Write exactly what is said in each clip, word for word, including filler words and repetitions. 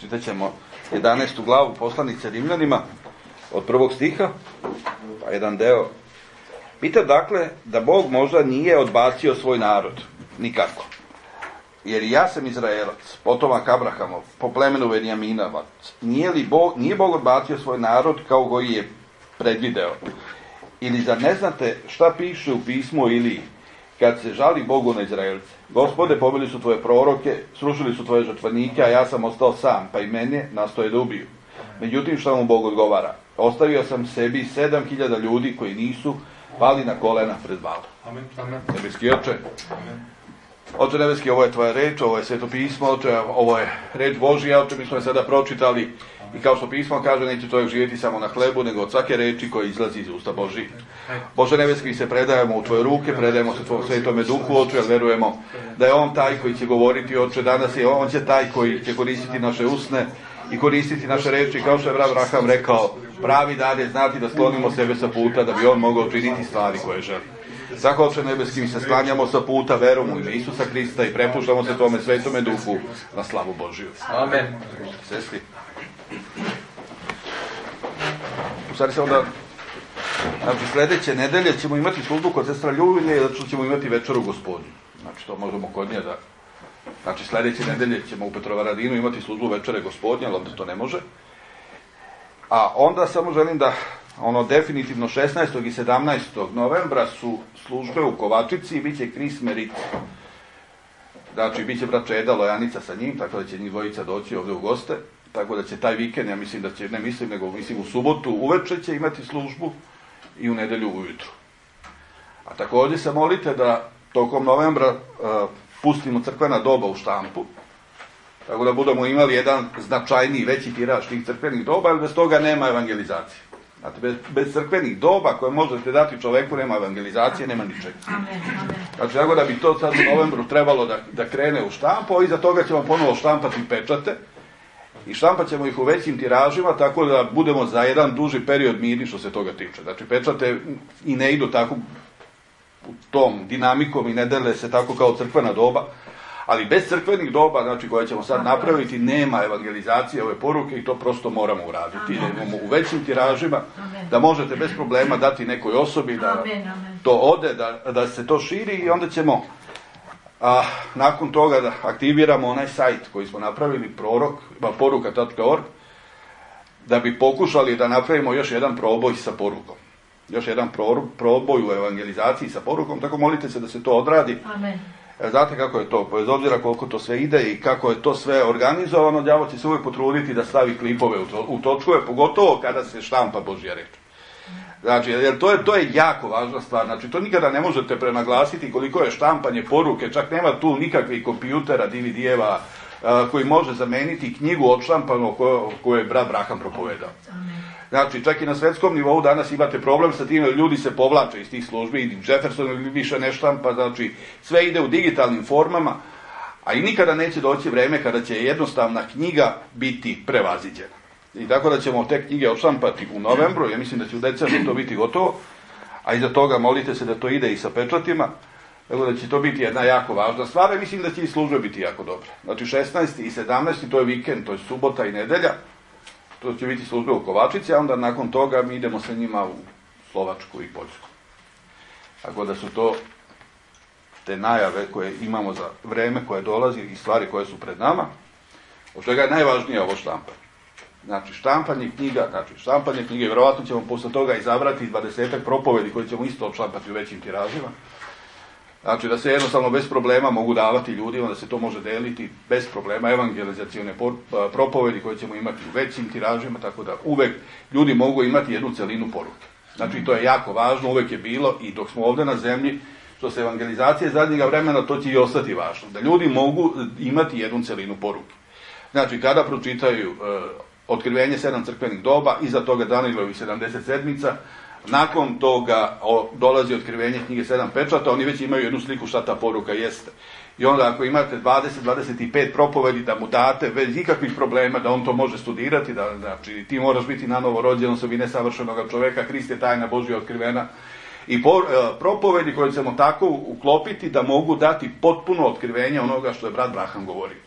Čitat ćemo jedanaestu glavu poslanice Rimljanima od prvog stiha, pa jedan deo. Pita dakle da Bog možda nije odbacio svoj narod, nikako. Jer ja sam Izraelac, potomak Abrahamov, po plemenu Benjaminavac. Nije li Bog, nije Bog odbacio svoj narod kao koji je predvideo? Ili zar ne znate šta piše u pismu Iliji, kad se žali Bogu na Izraelce? Gospode, pobili su tvoje proroke, srušili su tvoje žrtvenike, a ja sam ostao sam, pa i mene nastoje da ubiju. Međutim, šta mu Bog odgovara? Ostavio sam sebi sedam hiljada ljudi koji nisu pali na kolena pred Balom. Amen. Amen. Nebeski Oče, Amen. Oče nebeski, ovo je tvoja reč, ovo je sveto pismo, Oče, ovo je reč Božija, Oče, mi smo je sada pročitali i kao što pismo kaže, neće čovjek živjeti samo na hlebu, nego od svake reči koja izlazi iz usta Božije. Bože nebeski, mi se predajemo u tvoje ruke, predajemo se tvojom svetome duhu, Oče, jer verujemo da je on taj koji će govoriti, Oče, danas je on će taj koji će koristiti naše usne i koristiti naše reči, kao što je brat Abraham rekao, pravi dan je znati da sklonimo sebe sa puta, da bi on mogao činiti stvari koje želi. Tako, Oče nebeski, mi se sklanjamo sa puta verom u ime Isusa Hrista i prepuštamo se tome svetome duhu na slavu Božiju. Amen. Sestri. U stvari se onda, znači sledeće nedelje ćemo imati službu kod sestra Ljubine, zato što ćemo imati večeru Gospodnju. Znači to možemo kod nje da, znači sledeće nedelje ćemo u Petrovaradinu imati službu večere Gospodnje, ali ovdje to ne može. A onda samo želim da, ono definitivno šesnaestog i sedamnaestog novembra su službe u Kovačici i bit će Kris Merit. Znači, bit će brat Čeda Lojanica sa njim, tako da će njih dvojica doći ovdje u goste. Tako da će taj vikend, ja mislim da će, ne mislim, nego mislim u subotu uveče će imati službu i u nedelju ujutru. A također se molite da tokom novembra uh, pustimo crkvena doba u štampu, tako da budemo imali jedan značajniji, veći tiraž tih crkvenih doba, jer bez toga nema evangelizacije. Znate, bez, bez crkvenih doba koje možete dati čoveku nema evangelizacije, nema ničega. Znači, tako da bi to sad u novembru trebalo da, da krene u štampu, a iza toga ćemo ponovo štampati pečate i štampat ćemo ih u većim tiražima, tako da budemo za jedan duži period mirni što se toga tiče. Znači, pečate i ne idu tako u tom dinamikom i ne dele se tako kao crkvena doba, ali bez crkvenih doba, znači koje ćemo sad napraviti, nema evangelizacije ove poruke i to prosto moramo uraditi. Da imamo u većim tiražima, da možete bez problema dati nekoj osobi da to ode, da, da se to širi i onda ćemo a, nakon toga da aktiviramo onaj sajt koji smo napravili, prorok, poruka tačka org, da bi pokušali da napravimo još jedan proboj sa porukom. Još jedan proboj u evangelizaciji sa porukom, tako molite se da se to odradi. Amen. Znate kako je to, bez obzira koliko to sve ide i kako je to sve organizovano, đavo će se uvijek potruditi da stavi klipove u, to, u točkove, pogotovo kada se štampa Božja reč. Znači, jer to je, to je jako važna stvar, znači to nikada ne možete prenaglasiti koliko je štampanje poruke, čak nema tu nikakvih kompjutera, D V D-eva koji može zameniti knjigu odštampanu koju, koju je brat Abraham propovedao. Znači, čak i na svetskom nivou danas imate problem sa tim, ljudi se povlače iz tih službi, i Jefferson više ne štampa, znači sve ide u digitalnim formama, a i nikada neće doći vreme kada će jednostavna knjiga biti prevaziđena. I tako da ćemo te knjige odštampati u novembru, ja mislim da će u decembru to biti gotovo, a iza toga molite se da to ide i sa pečatima, tako da će to biti jedna jako važna stvar, i mislim da će i službe biti jako dobre. Znači šesnaesti i sedamnaesti to je vikend, to je subota i nedelja, to će biti službe u Kovačici, a onda nakon toga mi idemo sa njima u Slovačku i Poljsku. Tako da su to te najave koje imamo za vreme koje dolazi i stvari koje su pred nama, od čega je najvažnije ovo štampanje. Znači štampanje knjiga, znači štampanje knjige, vjerovatno ćemo posle toga izabrati dvadesetak propovedi koje ćemo isto odštampati u većim tiražima. Znači da se jednostavno bez problema mogu davati ljudima, da se to može deliti bez problema, evangelizacione propovedi koje ćemo imati u većim tiražima, tako da uvek ljudi mogu imati jednu celinu poruke. Znači to je jako važno, uvek je bilo i dok smo ovdje na zemlji, što se evangelizacije zadnjega vremena, to će i ostati važno, da ljudi mogu imati jednu celinu poruke. Znači kada pročitaju uh, Otkrivenje sedam crkvenih doba, iza toga Danijelovih sedamdeset sedmica, nakon toga o, dolazi otkrivenje knjige sedam pečata, oni već imaju jednu sliku šta ta poruka jeste. I onda ako imate dvadeset do dvadeset pet propovedi da mu date bez ikakvih problema da on to može studirati, da, znači ti moraš biti nanovo rođen osobine savršenog čoveka, Hrist je tajna Božja otkrivena. I po, e, propovedi koje ćemo tako uklopiti da mogu dati potpuno otkrivenje onoga što je brat Abraham govorio.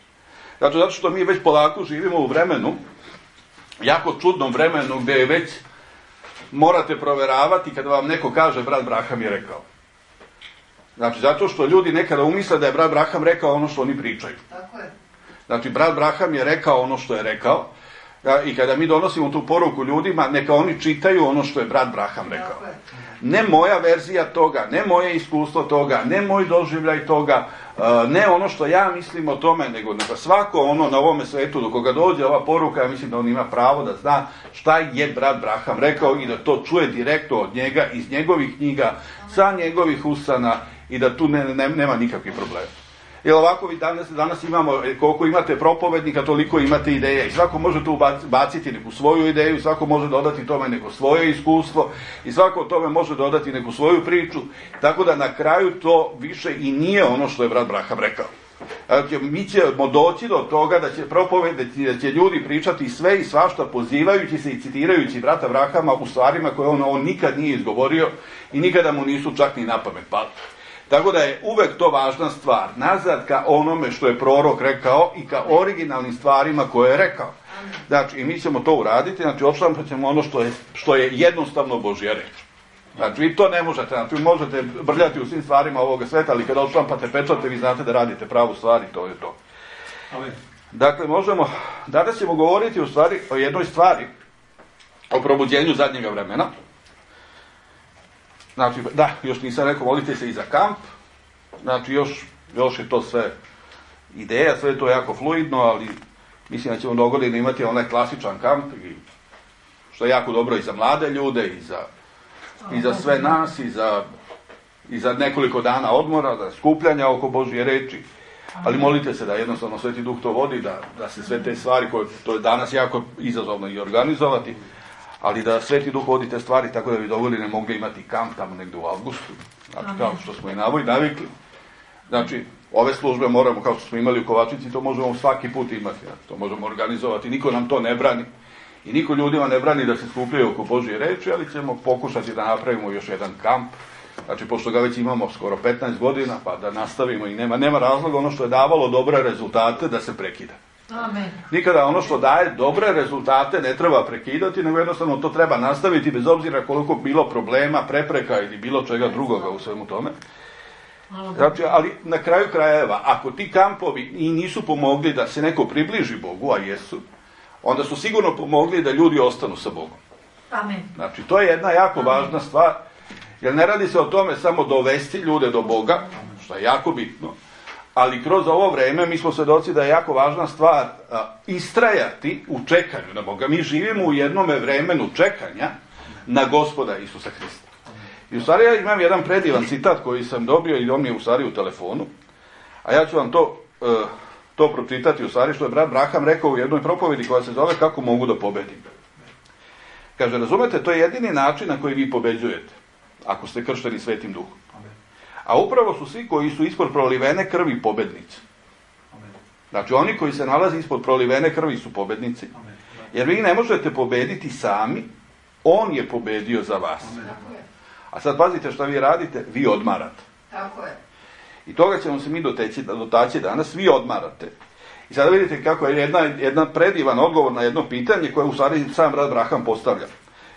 Znači, zato što mi već polako živimo u vremenu, jako čudnom vremenu, gdje je već morate proveravati kada vam neko kaže brat Braham je rekao. Znači, zato što ljudi nekada umisle da je brat Braham rekao ono što oni pričaju. Tako je. Znači, brat Braham je rekao ono što je rekao. I kada mi donosimo tu poruku ljudima, neka oni čitaju ono što je brat Braham rekao. Ne moja verzija toga, ne moje iskustvo toga, ne moj doživljaj toga, ne ono što ja mislim o tome, nego neka svako ono na ovome svetu do koga dođe ova poruka, ja mislim da on ima pravo da zna šta je brat Braham rekao i da to čuje direktno od njega, iz njegovih knjiga, sa njegovih usana i da tu ne, ne, nema nikakvih problema. Jer ovako vi danas, danas imamo, koliko imate propovednika, toliko imate ideja i svako može tu baciti neku svoju ideju, svako može dodati tome neko svoje iskustvo i svako tome može dodati neku svoju priču, tako da na kraju to više i nije ono što je brat Braham rekao. Znači, mi ćemo doći do toga da će propovedati, da će ljudi pričati sve i svašta pozivajući se i citirajući brata Brahama u stvarima koje on, on nikad nije izgovorio i nikada mu nisu čak ni na pamet pali. Tako da je uvek to važna stvar, nazad ka onome što je prorok rekao i ka originalnim stvarima koje je rekao. Znači, i mi ćemo to uraditi, znači, odštampat ćemo ono što je, što je jednostavno Božja reč. Znači, vi to ne možete, znači, vi možete brljati u svim stvarima ovoga sveta, ali kada odštampate pečate, vi znate da radite pravu stvar i to je to. Dakle, možemo, danas ćemo govoriti u stvari o jednoj stvari, o probuđenju zadnjega vremena. Znači, da, još nisam rekao, molite se i za kamp, znači još, još je to sve ideja, sve je to jako fluidno, ali mislim da ćemo dogodine imati onaj klasičan kamp, i, što je jako dobro i za mlade ljude, i za, i za sve nas, i za, i za nekoliko dana odmora, za skupljanja oko Božje reči, ali molite se da jednostavno Sveti Duh to vodi, da, da se sve te stvari, koje to je danas jako izazovno i organizovati, ali da Sveti Duh vodi te stvari tako da bi dogodine mogli imati kamp tamo negdje u avgustu, znači kao što smo i navikli. Znači, ove službe moramo, kao što smo imali u Kovačici, to možemo svaki put imati, to možemo organizovati, niko nam to ne brani i niko ljudima ne brani da se skupljaju oko Božje reči, ali ćemo pokušati da napravimo još jedan kamp, znači pošto ga već imamo skoro petnaest godina, pa da nastavimo i nema, nema razloga ono što je davalo dobre rezultate da se prekida. Amen. Nikada ono što daje dobre rezultate ne treba prekidati, nego jednostavno to treba nastaviti bez obzira koliko bilo problema, prepreka ili bilo čega drugoga u svemu tome. Znači, ali na kraju krajeva, ako ti kampovi i nisu pomogli da se neko približi Bogu, a jesu, onda su sigurno pomogli da ljudi ostanu sa Bogom. Amen. Znači, to je jedna jako Amen. Važna stvar, jer ne radi se o tome samo dovesti ljude do Boga, što je jako bitno, ali kroz ovo vreme mi smo svedoci da je jako važna stvar a, istrajati u čekanju na Boga. Mi živimo u jednome vremenu čekanja na Gospoda Isusa Hrista. I u stvari ja imam jedan predivan citat koji sam dobio i on mi je u stvari u telefonu, a ja ću vam to, uh, to pročitati u stvari što je brat Braham rekao u jednoj propovedi koja se zove Kako mogu da pobedim. Kaže, razumete, to je jedini način na koji vi pobeđujete, ako ste kršteni Svetim Duhom. A upravo su svi koji su ispod prolivene krvi pobednici. Znači oni koji se nalaze ispod prolivene krvi su pobednici. Jer vi ne možete pobediti sami, on je pobedio za vas. A sad pazite šta vi radite, vi odmarate. Tako je. I toga ćemo se mi doteći, dotaći danas, vi odmarate. I sada vidite kako je jedna, jedna predivan odgovor na jedno pitanje koje u stvari sam brat Braham postavlja.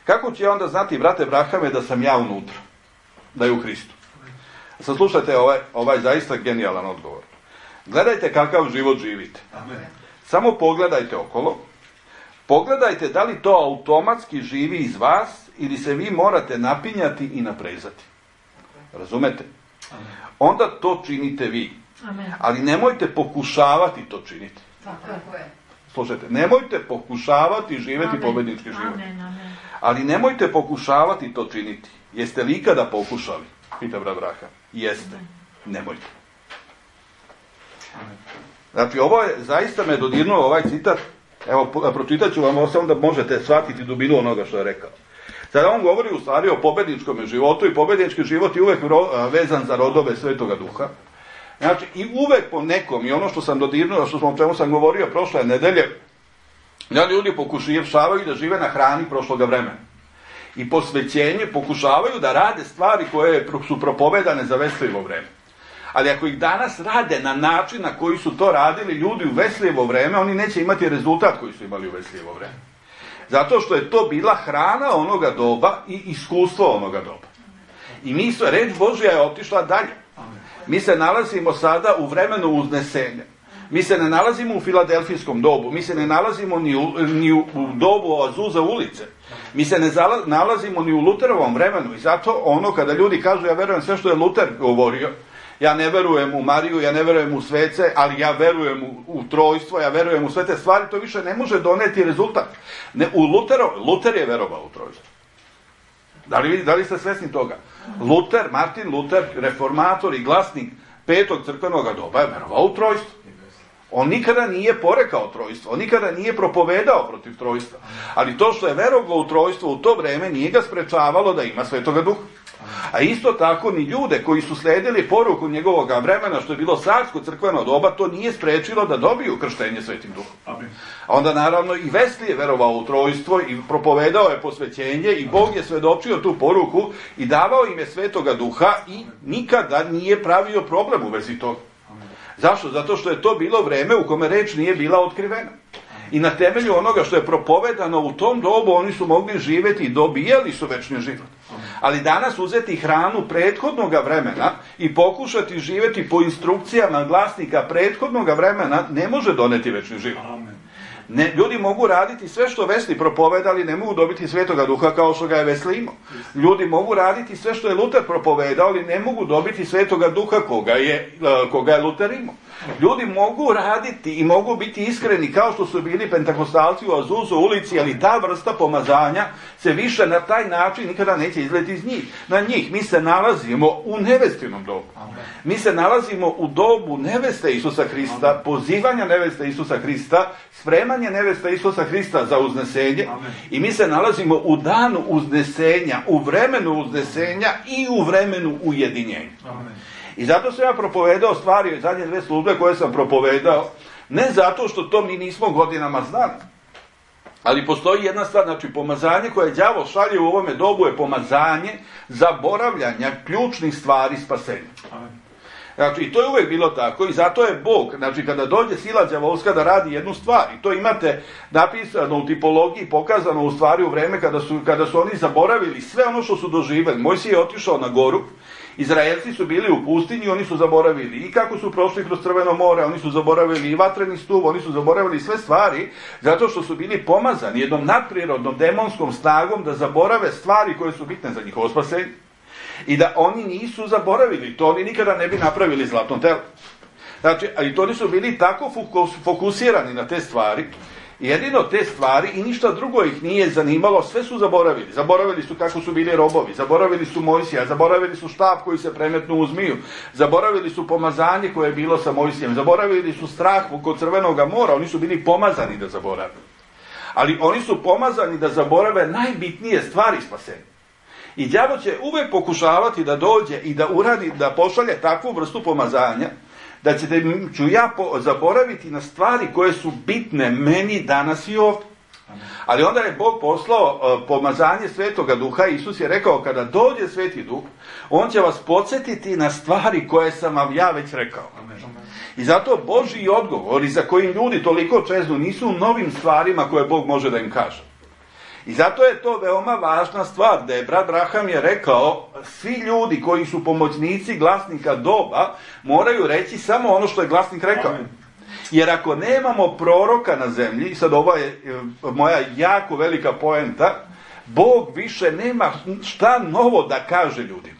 Kako će onda znati, brate Brahame, da sam ja unutra? Da je u Hristu? Sad slušajte ovaj, ovaj zaista genijalan odgovor. Gledajte kakav život živite. Amen. Samo pogledajte okolo. Pogledajte da li to automatski živi iz vas ili se vi morate napinjati i naprezati. Razumete? Amen. Onda to činite vi. Amen. Ali nemojte pokušavati to činiti. Tako je. Slušajte, nemojte pokušavati živjeti Amen. Pobednički život. Amen. Amen. Ali nemojte pokušavati to činiti. Jeste li ikada pokušali? Pita brat Braham. Jeste. Nemojte. Znači, ovo je, zaista me dodirnuo ovaj citat. Evo, pročitat ću vam ovo samo da možete shvatiti dubinu onoga što je rekao. Sada on govori u stvari o pobedničkom životu i pobednički život je uvek vezan za rodove Svetoga Duha. Znači, i uvek po nekom, i ono što sam dodirnuo, što sam, o čemu sam govorio prošle nedelje, da ljudi pokušavaju da žive na hrani prošloga vremena. I posvećenje pokušavaju da rade stvari koje su propovedane za veselivo vreme. Ali ako ih danas rade na način na koji su to radili ljudi u Veslijevo vreme, oni neće imati rezultat koji su imali u Veslijevo vreme. Zato što je to bila hrana onoga doba i iskustvo onoga doba. I mi sve, reč Božja je otišla dalje. Mi se nalazimo sada u vremenu uznesenja. Mi se ne nalazimo u filadelfijskom dobu, mi se ne nalazimo ni u, ni u dobu Azuza ulice. Mi se ne zala, nalazimo ni u Luterovom vremenu i zato ono kada ljudi kažu ja verujem sve što je Luter govorio, ja ne verujem u Mariju, ja ne verujem u svece, ali ja verujem u, u trojstvo, ja verujem u sve te stvari, to više ne može doneti rezultat. Ne, u Lutero, Luter je verovao u trojstvo. Da li, da li ste svesni toga? Luter, Martin Luter, reformator i glasnik petog crkvenog doba je verovao u trojstvo. On nikada nije porekao trojstvo, on nikada nije propovedao protiv trojstva. Ali to što je verovao u trojstvo u to vreme nije ga sprečavalo da ima Svetoga Duha. A isto tako ni ljude koji su sledili poruku njegovog vremena, što je bilo carsko crkveno doba, to nije sprečilo da dobiju krštenje Svetim Duhom. A onda naravno i Wesley je verovao u trojstvo i propovedao je posvećenje i Bog je svedočio tu poruku i davao im je Svetoga Duha i nikada nije pravio problem u vezi toga. Zašto? Zato što je to bilo vreme u kome reč nije bila otkrivena. I na temelju onoga što je propovedano u tom dobu oni su mogli živjeti i dobijali su večni život. Ali danas uzeti hranu prethodnog vremena i pokušati živjeti po instrukcijama glasnika prethodnog vremena ne može doneti večni život. Ne, ljudi mogu raditi sve što Wesley propovedali, ne mogu dobiti Svetoga Duha kao što ga je Wesley imao. Ljudi mogu raditi sve što je Luter propovedao, ali ne mogu dobiti Svetoga Duha koga je, koga je Luter imao. Ljudi mogu raditi i mogu biti iskreni kao što su bili pentakostalci u Azuzu ulici, ali ta vrsta pomazanja se više na taj način nikada neće izleti iz njih. Na njih mi se nalazimo u nevestinom dobu. Mi se nalazimo u dobu neveste Isusa Hrista, pozivanja neveste Isusa Hrista, spremanje neveste Isusa Hrista za uznesenje. I mi se nalazimo u danu uznesenja, u vremenu uznesenja i u vremenu ujedinjenja. I zato sam ja propovedao stvari, zadnje dve službe koje sam propovedao, ne zato što to mi nismo godinama znali, ali postoji jedna stvar, znači pomazanje koje đavo šalje u ovome dobu je pomazanje zaboravljanja ključnih stvari spasenja. Znači, i to je uvijek bilo tako i zato je Bog, znači kada dođe sila đavolska da radi jednu stvar, i to imate napisano u tipologiji, pokazano u stvari u vreme kada su, kada su oni zaboravili sve ono što su doživjeli. Mojsije je otišao na goru, Izraelci su bili u pustinji, oni su zaboravili i kako su prošli kroz Crveno more, oni su zaboravili i vatreni stup, oni su zaboravili sve stvari, zato što su bili pomazani jednom nadprirodnom demonskom snagom da zaborave stvari koje su bitne za njihovo spasenje. I da oni nisu zaboravili, to oni nikada ne bi napravili zlatno telo. Znači, ali to oni su bili tako fokusirani na te stvari, jedino te stvari i ništa drugo ih nije zanimalo, sve su zaboravili. Zaboravili su kako su bili robovi, zaboravili su Mojsija, zaboravili su štap koji se premetnu u zmiju, zaboravili su pomazanje koje je bilo sa Mojsijem, zaboravili su strah kod Crvenoga mora, oni su bili pomazani da zaborave. Ali oni su pomazani da zaborave najbitnije stvari spasenja. I đavo će uvijek pokušavati da dođe i da uradi, da pošalje takvu vrstu pomazanja, da ćete, ću ja po, zaboraviti na stvari koje su bitne meni danas i ovdje. Ali onda je Bog poslao uh, pomazanje Svetoga Duha. Isus je rekao, kada dođe Sveti Duh, on će vas podsjetiti na stvari koje sam vam ja već rekao. I zato Božji odgovori za kojim ljudi toliko čeznu nisu u novim stvarima koje Bog može da im kaže. I zato je to veoma važna stvar, da je brat Braham je rekao, svi ljudi koji su pomoćnici glasnika doba moraju reći samo ono što je glasnik rekao. Amen. Jer ako nemamo proroka na zemlji, sad ova je moja jako velika poenta, Bog više nema šta novo da kaže ljudima.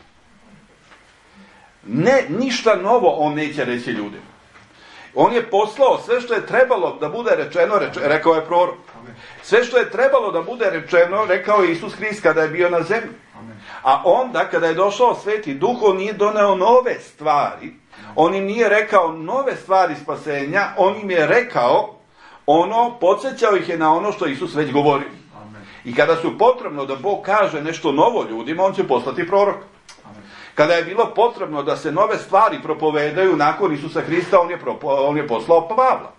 Ne, ništa novo on neće reći ljudima. On je poslao sve što je trebalo da bude rečeno, reče, rekao je prorok. Sve što je trebalo da bude rečeno, rekao je Isus Hrist kada je bio na zemlji. A onda, kada je došao Sveti Duh, on nije doneo nove stvari. On im nije rekao nove stvari spasenja, on im je rekao ono, podsjećao ih je na ono što Isus već govorio. I kada su potrebno da Bog kaže nešto novo ljudima, on će poslati proroka. Kada je bilo potrebno da se nove stvari propovedaju nakon Isusa Hrista, on je, propo, on je poslao Pavla.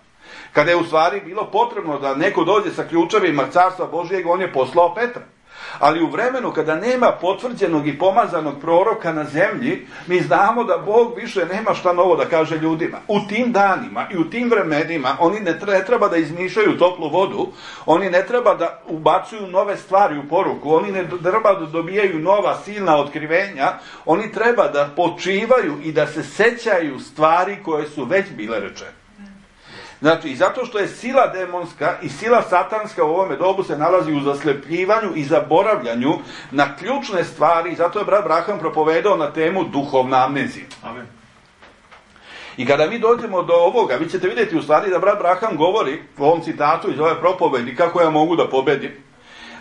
Kada je u stvari bilo potrebno da neko dođe sa ključevima Carstva Božijeg, on je poslao Petra. Ali u vremenu kada nema potvrđenog i pomazanog proroka na zemlji, mi znamo da Bog više nema šta novo da kaže ljudima. U tim danima i u tim vremenima oni ne treba da izmišljaju toplu vodu, oni ne treba da ubacuju nove stvari u poruku, oni ne treba da dobijaju nova silna otkrivenja, oni treba da počivaju i da se sećaju stvari koje su već bile rečene. Znači, i zato što je sila demonska i sila satanska u ovome dobu se nalazi u zaslepljivanju i zaboravljanju na ključne stvari, i zato je brat Braham propovedao na temu duhovna amnezija. Amen. I kada mi dođemo do ovoga, vi ćete vidjeti u stvari da brat Braham govori u ovom citatu iz ove propovedi kako ja mogu da pobedim,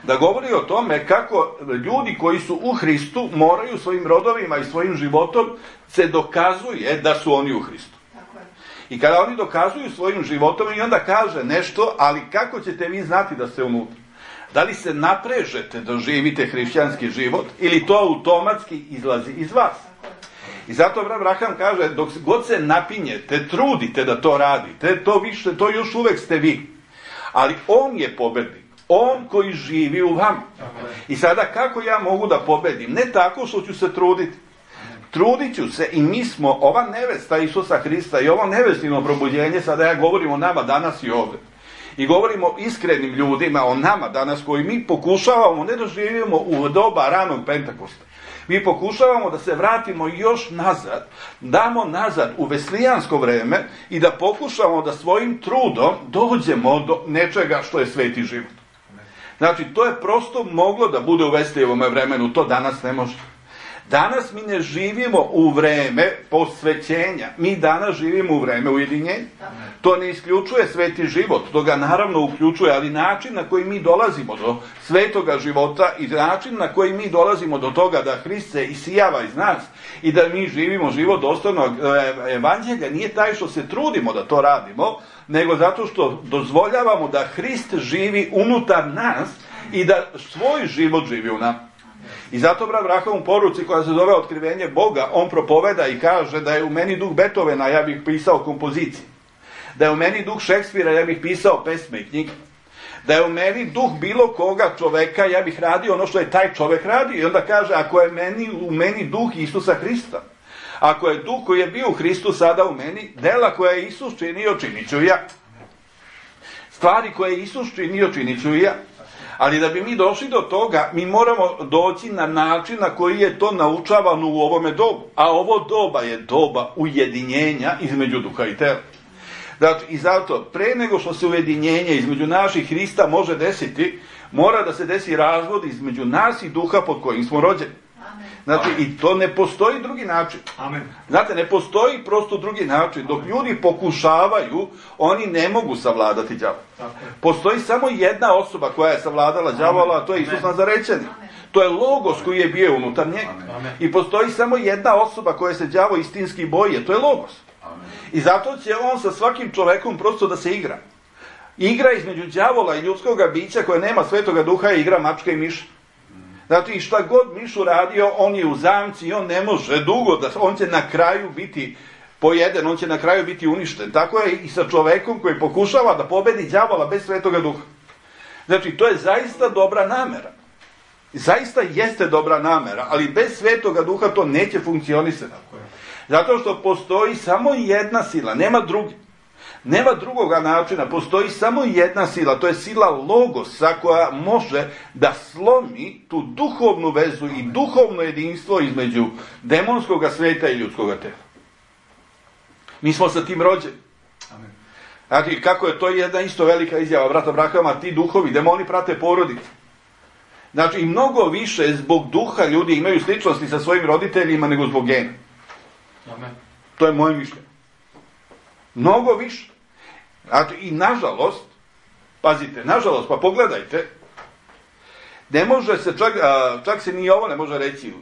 da govori o tome kako ljudi koji su u Hristu moraju svojim rodovima i svojim životom se dokazuje da su oni u Hristu. I kada oni dokazuju svojim životom i onda kaže nešto, ali kako ćete vi znati da ste unutra? Da li se naprežete da živite hrišćanski život ili to automatski izlazi iz vas? I zato brat Braham kaže, dok god se napinjete, trudite da to radite, to više, to još uvek ste vi. Ali on je pobednik, on koji živi u vama. I sada kako ja mogu da pobedim? Ne tako što ću se truditi. Trudit ću se i mi smo, ova nevesta Isusa Hrista i ovo nevestino probudjenje, sada ja govorim o nama danas i ovdje. I govorimo o iskrenim ljudima, o nama danas koji mi pokušavamo ne da živimo u doba ranog Pentakosta. Mi pokušavamo da se vratimo još nazad, damo nazad u veslijansko vreme i da pokušamo da svojim trudom dođemo do nečega što je sveti život. Znači, to je prosto moglo da bude u Veslijevome vremenu, to danas ne može. Danas mi ne živimo u vreme posvećenja, mi danas živimo u vreme ujedinjenja. To ne isključuje sveti život, to ga naravno uključuje, ali način na koji mi dolazimo do svetoga života i način na koji mi dolazimo do toga da Hrist se isijava iz nas i da mi živimo život dostojnog evanđelja nije taj što se trudimo da to radimo, nego zato što dozvoljavamo da Hrist živi unutar nas i da svoj život živi u nama. I zato brat Braham u poruci koja se zove Otkrivenje Boga, on propoveda i kaže da je u meni duh Beethovena, ja bih pisao kompozicije. Da je u meni duh Šekspira, ja bih pisao pesme i knjige. Da je u meni duh bilo koga čoveka, ja bih radio ono što je taj čovek radio. I onda kaže, ako je meni, u meni duh Isusa Hrista, ako je duh koji je bio u Hristu sada u meni, dela koje je Isus činio, činit ću ja. Stvari koje je Isus činio, činit ću ja. Ali da bi mi došli do toga, mi moramo doći na način na koji je to naučavano u ovome dobu. A ovo doba je doba ujedinjenja između duha i tela. Znači, i zato, pre nego što se ujedinjenje između naših Hrista može desiti, mora da se desi razvod između nas i duha pod kojim smo rođeni. Znači, i to ne postoji drugi način. Amen. Znate, ne postoji prosto drugi način. Dok ljudi pokušavaju, oni ne mogu savladati đavola. Postoji samo jedna osoba koja je savladala đavola, a to je Isus Nazarećanin. To je Logos koji je bio unutar njega. Amen. I postoji samo jedna osoba koja se đavo istinski boji, to je Logos. Amen. I zato će on sa svakim čovekom prosto da se igra. Igra između đavola i ljudskoga bića koje nema svetoga duha je igra mačka i miša. Znači, i šta god miš uradio, on je u zamci i on ne može dugo, da on će na kraju biti pojeden, on će na kraju biti uništen. Tako je i sa čovekom koji pokušava da pobedi đavola bez svetoga duha. Znači, to je zaista dobra namera. Zaista jeste dobra namera, ali bez svetoga duha to neće funkcionisati. Zato što postoji samo jedna sila, nema drugi. Nema drugoga načina, postoji samo jedna sila, to je sila Logosa koja može da slomi tu duhovnu vezu i duhovno jedinstvo između demonskog sveta i ljudskog tela. Mi smo sa tim rođeni. Amen. Znači, kako je to jedna isto velika izjava brata Brahama, ti duhovi, demoni prate porodicu. Znači, i mnogo više zbog duha ljudi imaju sličnosti sa svojim roditeljima nego zbog gena. Amen. To je moje mišljenje. Mnogo više. Znači, i nažalost, pazite, nažalost, pa pogledajte, ne može se, čak, čak se ni ovo ne može reći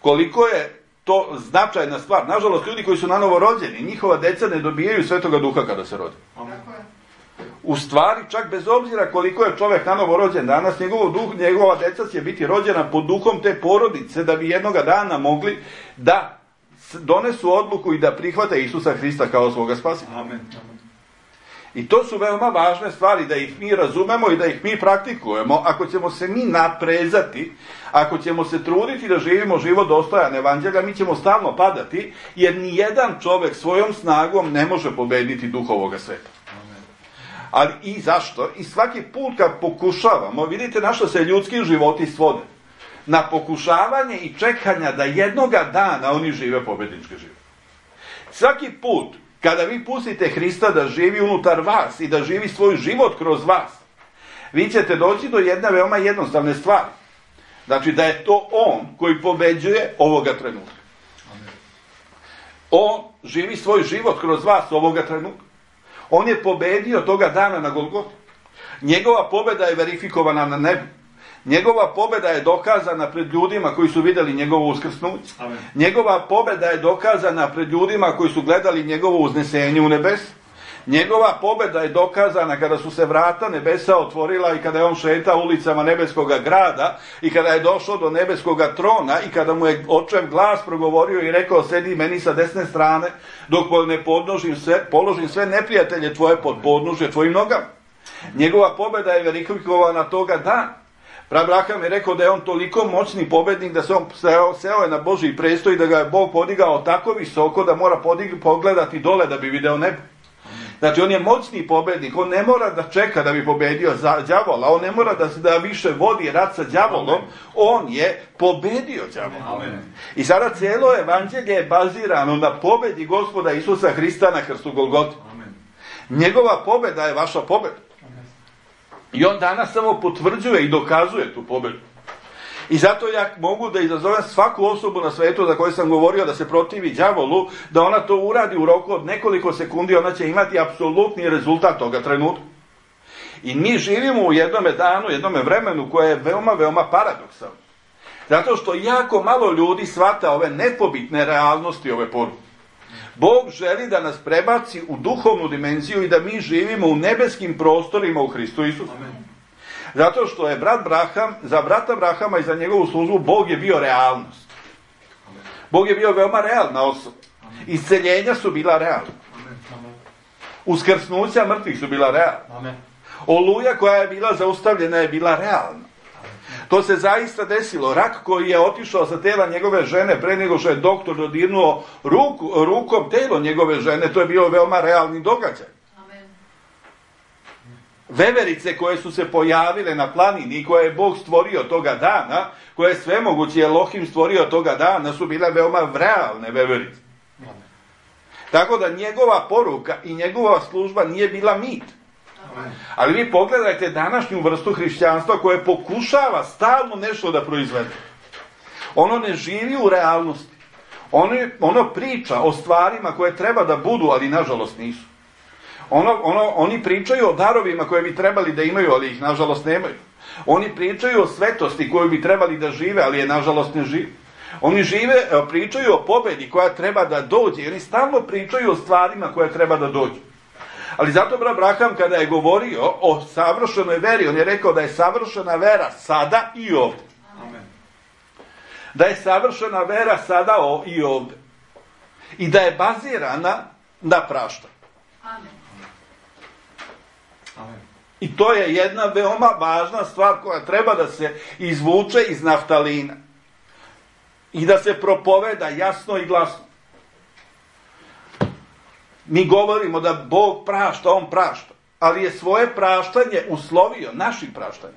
koliko je to značajna stvar. Nažalost, ljudi koji su na novo rođeni, njihova deca ne dobijaju svetoga duha kada se rode. U stvari, čak bez obzira koliko je čovjek na novo rođen danas, njegov duh, njegova deca će biti rođena pod duhom te porodice, da bi jednoga dana mogli da donesu odluku i da prihvate Isusa Hrista kao svoga spasitelja. Amen. I to su veoma važne stvari, da ih mi razumemo i da ih mi praktikujemo. Ako ćemo se mi naprezati, ako ćemo se truditi da živimo život dostojan evanđelja, mi ćemo stalno padati, jer nijedan čovjek svojom snagom ne može pobediti duh ovoga sveta. Ali i zašto? I svaki put kad pokušavamo, vidite na što se ljudski životi svode. Na pokušavanje i čekanja da jednoga dana oni žive pobednički život. Svaki put kada vi pustite Hrista da živi unutar vas i da živi svoj život kroz vas, vi ćete doći do jedne veoma jednostavne stvari. Znači da je to on koji pobeđuje ovoga trenutka. On živi svoj život kroz vas ovoga trenutka. On je pobedio toga dana na Golgoti. Njegova pobjeda je verifikovana na nebu. Njegova pobjeda je dokazana pred ljudima koji su vidjeli njegovo uskrsnuće. Amen. Njegova pobjeda je dokazana pred ljudima koji su gledali njegovo uznesenje u nebes. Njegova pobjeda je dokazana kada su se vrata nebesa otvorila i kada je on šetao ulicama nebeskoga grada i kada je došao do nebeskoga trona i kada mu je očev glas progovorio i rekao: sedi meni sa desne strane dok ne podnožim sve, položim sve neprijatelje tvoje pod podnožje tvojim nogama. Njegova pobjeda je verifikovana toga dana. Abraham je rekao da je on toliko moćni pobednik da se on seo, seo je na Božji prestol i da ga je Bog podigao tako visoko da mora podig, pogledati dole da bi video nebo. Znači on je moćni pobednik, on ne mora da čeka da bi pobedio za đavola, on ne mora da, da više vodi rat sa đavolom, on je pobedio đavola. I sada cijelo evanđelje je bazirano na pobedi Gospoda Isusa Hrista na krstu Golgoti. Njegova pobeda je vaša pobeda. I on danas samo potvrđuje i dokazuje tu pobjedu. I zato ja mogu da izazovem svaku osobu na svetu za koju sam govorio da se protivi đavolu, da ona to uradi u roku od nekoliko sekundi, ona će imati apsolutni rezultat toga trenutka. I mi živimo u jednome danu, jednome vremenu koje je veoma, veoma paradoksalno. Zato što jako malo ljudi shvata ove nepobitne realnosti ove poruke. Bog želi da nas prebaci u duhovnu dimenziju i da mi živimo u nebeskim prostorima u Hristu Isusu. Zato što je brat Braham, za brata Brahama i za njegovu službu Bog je bio realnost. Bog je bio veoma realna osoba. Isceljenja su bila realna. Uskrsnuća mrtvih su bila realna. Oluja koja je bila zaustavljena je bila realna. To se zaista desilo. Rak koji je otišao sa tela njegove žene pre nego što je doktor dodirnuo ruku, rukom telo njegove žene, to je bio veoma realni događaj. Amen. Veverice koje su se pojavile na planini i koje je Bog stvorio toga dana, koje je svemogući Elohim stvorio toga dana, su bile veoma realne veverice. Amen. Tako da njegova poruka i njegova služba nije bila mit. Ali vi pogledajte današnju vrstu hrišćanstva koje pokušava stalno nešto da proizvede. Ono ne živi u realnosti. Ono, ono priča o stvarima koje treba da budu, ali nažalost nisu. Ono, ono, oni pričaju o darovima koje bi trebali da imaju, ali ih nažalost nemaju. Oni pričaju o svetosti koju bi trebali da žive, ali je nažalost ne žive. Oni žive, pričaju o pobedi koja treba da dođe. I oni stalno pričaju o stvarima koje treba da dođu. Ali zato brat Braham kada je govorio o savršenoj veri, on je rekao da je savršena vera sada i ovdje. Amen. Da je savršena vera sada i ovdje. I da je bazirana na praštanju. Amen. Amen. I to je jedna veoma važna stvar koja treba da se izvuče iz naftalina. I da se propoveda jasno i glasno. Mi govorimo da Bog prašta, on prašta. Ali je svoje praštanje uslovio našim praštanjem.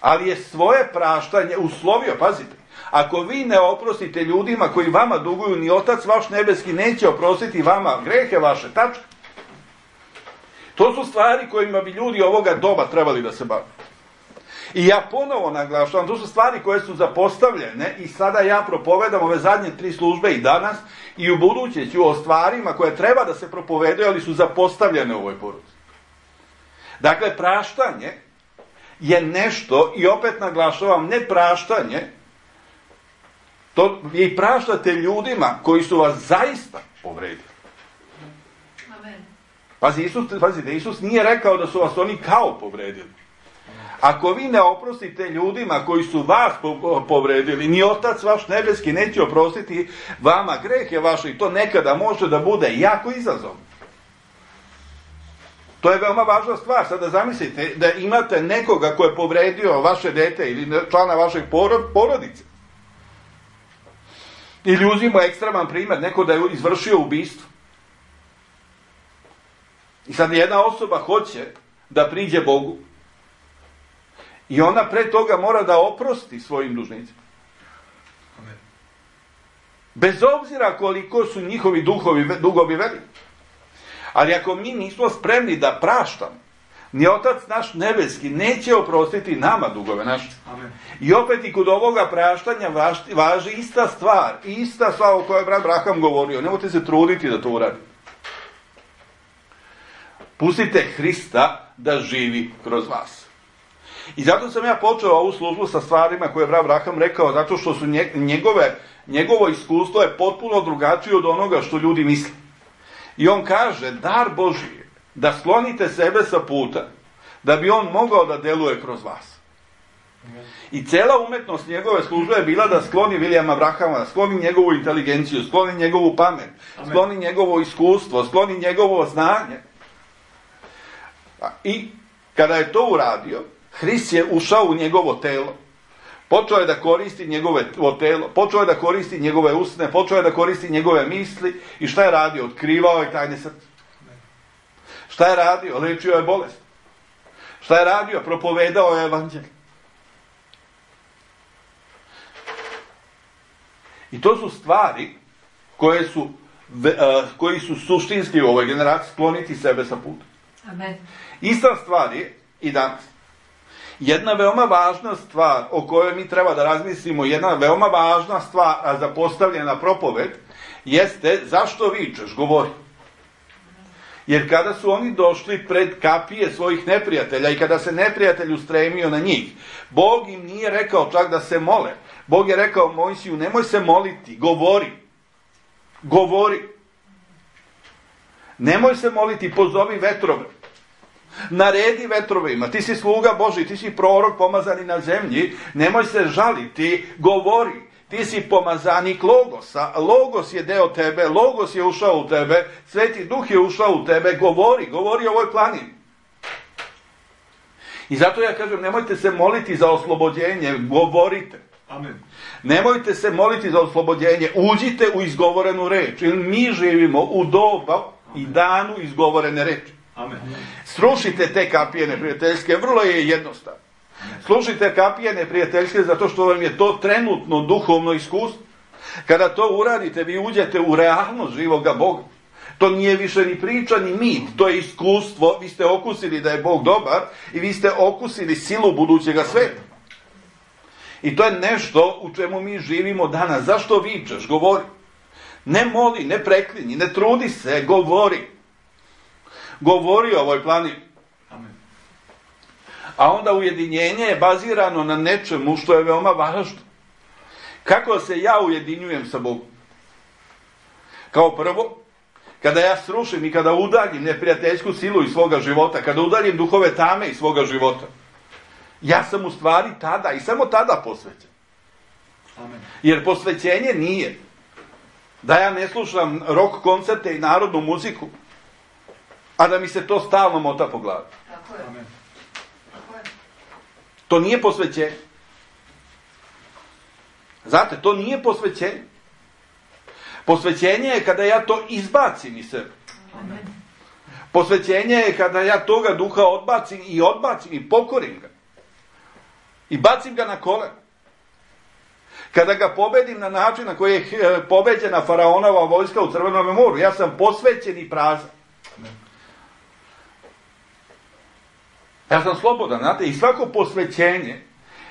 Ali je svoje praštanje uslovio, pazite. Ako vi ne oprostite ljudima koji vama duguju, ni Otac vaš nebeski neće oprostiti vama grehe vaše. Tačka. To su stvari kojima bi ljudi ovoga doba trebali da se bave. I ja ponovo naglašavam, to su stvari koje su zapostavljene i sada ja propovedam ove zadnje tri službe i danas i u buduće ću o stvarima koje treba da se propovedaju, ali su zapostavljene u ovoj poruci. Dakle, praštanje je nešto, i opet naglašavam, ne praštanje, to vi praštate ljudima koji su vas zaista povredili. Amen. Pazi, Isus, pazite, Isus nije rekao da su vas oni kao povredili. Ako vi ne oprostite ljudima koji su vas povredili, ni Otac vaš nebeski neće oprostiti vama grehe vaše, i to nekada može da bude jako izazovno. To je veoma važna stvar. Sada zamislite da imate nekoga ko je povredio vaše dete ili člana vašeg porodice. Ili uzmimo ekstreman primjer, neko da je izvršio ubistvo. I sad jedna osoba hoće da priđe Bogu. I ona pre toga mora da oprosti svojim dužnicima. Amen. Bez obzira koliko su njihovi duhovi, dugovi veliki. Ali ako mi nismo spremni da praštamo, ni Otac naš nebeski neće oprostiti nama dugove naše. Amen. I opet i kod ovoga praštanja važi, važi ista stvar. Ista stvar o kojoj je brat Braham govorio. Nemojte se truditi da to uradi. Pustite Hrista da živi kroz vas. I zato sam ja počeo ovu službu sa stvarima koje je brat Braham rekao, zato što su njegove, njegovo iskustvo je potpuno drugačije od onoga što ljudi misle. I on kaže, dar Božji je da sklonite sebe sa puta, da bi on mogao da deluje kroz vas. I cela umetnost njegove službe je bila da skloni Vilijama Brahama, da skloni njegovu inteligenciju, skloni njegovu pamet, Amen. Skloni njegovo iskustvo, skloni njegovo znanje. I kada je to uradio, Hrist je ušao u njegovo telo. Počeo je da koristi njegove telo, počeo je da koristi njegove usne, počeo je da koristi njegove misli. I šta je radio? Otkrivao je tajne srca. Šta je radio? Lečio je bolest. Šta je radio? Propovedao je evanđelje. I to su stvari koje su, koji su suštinski u ovoj generaciji, skloniti sebe sa puta. Amen. Ista stvar je i danas. Jedna veoma važna stvar o kojoj mi treba da razmislimo, jedna veoma važna stvar, a zapostavljena propoved, jeste zašto vičeš, govori. Jer kada su oni došli pred kapije svojih neprijatelja i kada se neprijatelj ustremio na njih, Bog im nije rekao čak da se mole. Bog je rekao Mojsiju, nemoj se moliti, govori. Govori. Nemoj se moliti, pozovi vetrove. Naredi vetrovima, ti si sluga Božji, ti si prorok pomazani na zemlji, nemoj se žaliti, govori. Ti si pomazanik Logosa, Logos je deo tebe, Logos je ušao u tebe, Sveti Duh je ušao u tebe, govori, govori o ovoj planini. I zato ja kažem, nemojte se moliti za oslobođenje, govorite. Amen. Nemojte se moliti za oslobođenje, uđite u izgovorenu reč, jer mi živimo u doba i danu izgovorene reči. Amen. Srušite te kapije neprijateljske, vrlo je jednostavno. Slušajte kapije neprijateljske zato što vam je to trenutno duhovno iskustvo. Kada to uradite, vi uđete u realnost živoga Boga. To nije više ni priča, ni mit. To je iskustvo. Vi ste okusili da je Bog dobar i vi ste okusili silu budućega sveta. I to je nešto u čemu mi živimo danas. Zašto vičeš? Govori. Ne moli, ne preklinji, ne trudi se, govori. Govori o ovoj planini. Amen. A onda ujedinjenje je bazirano na nečemu što je veoma važno. Kako se ja ujedinjujem sa Bogom? Kao prvo, kada ja srušim i kada udaljim neprijateljsku silu iz svoga života, kada udaljim duhove tame iz svoga života, ja sam u stvari tada i samo tada posvećen. Amen. Jer posvećenje nije da ja ne slušam rock koncerte i narodnu muziku, a da mi se to stalno mota po glavi. Tako je. Amen. Tako je. To nije posvećenje. Znate, to nije posvećenje. Posvećenje je kada ja to izbacim iz sebe. Amen. Posvećenje je kada ja toga duha odbacim i odbacim i pokorim ga. I bacim ga na kolen. Kada ga pobedim na način na koji je pobeđena faraonova vojska u Crvenom moru, ja sam posvećen i prazan. Ja sam slobodan, znate, i svako posvećenje,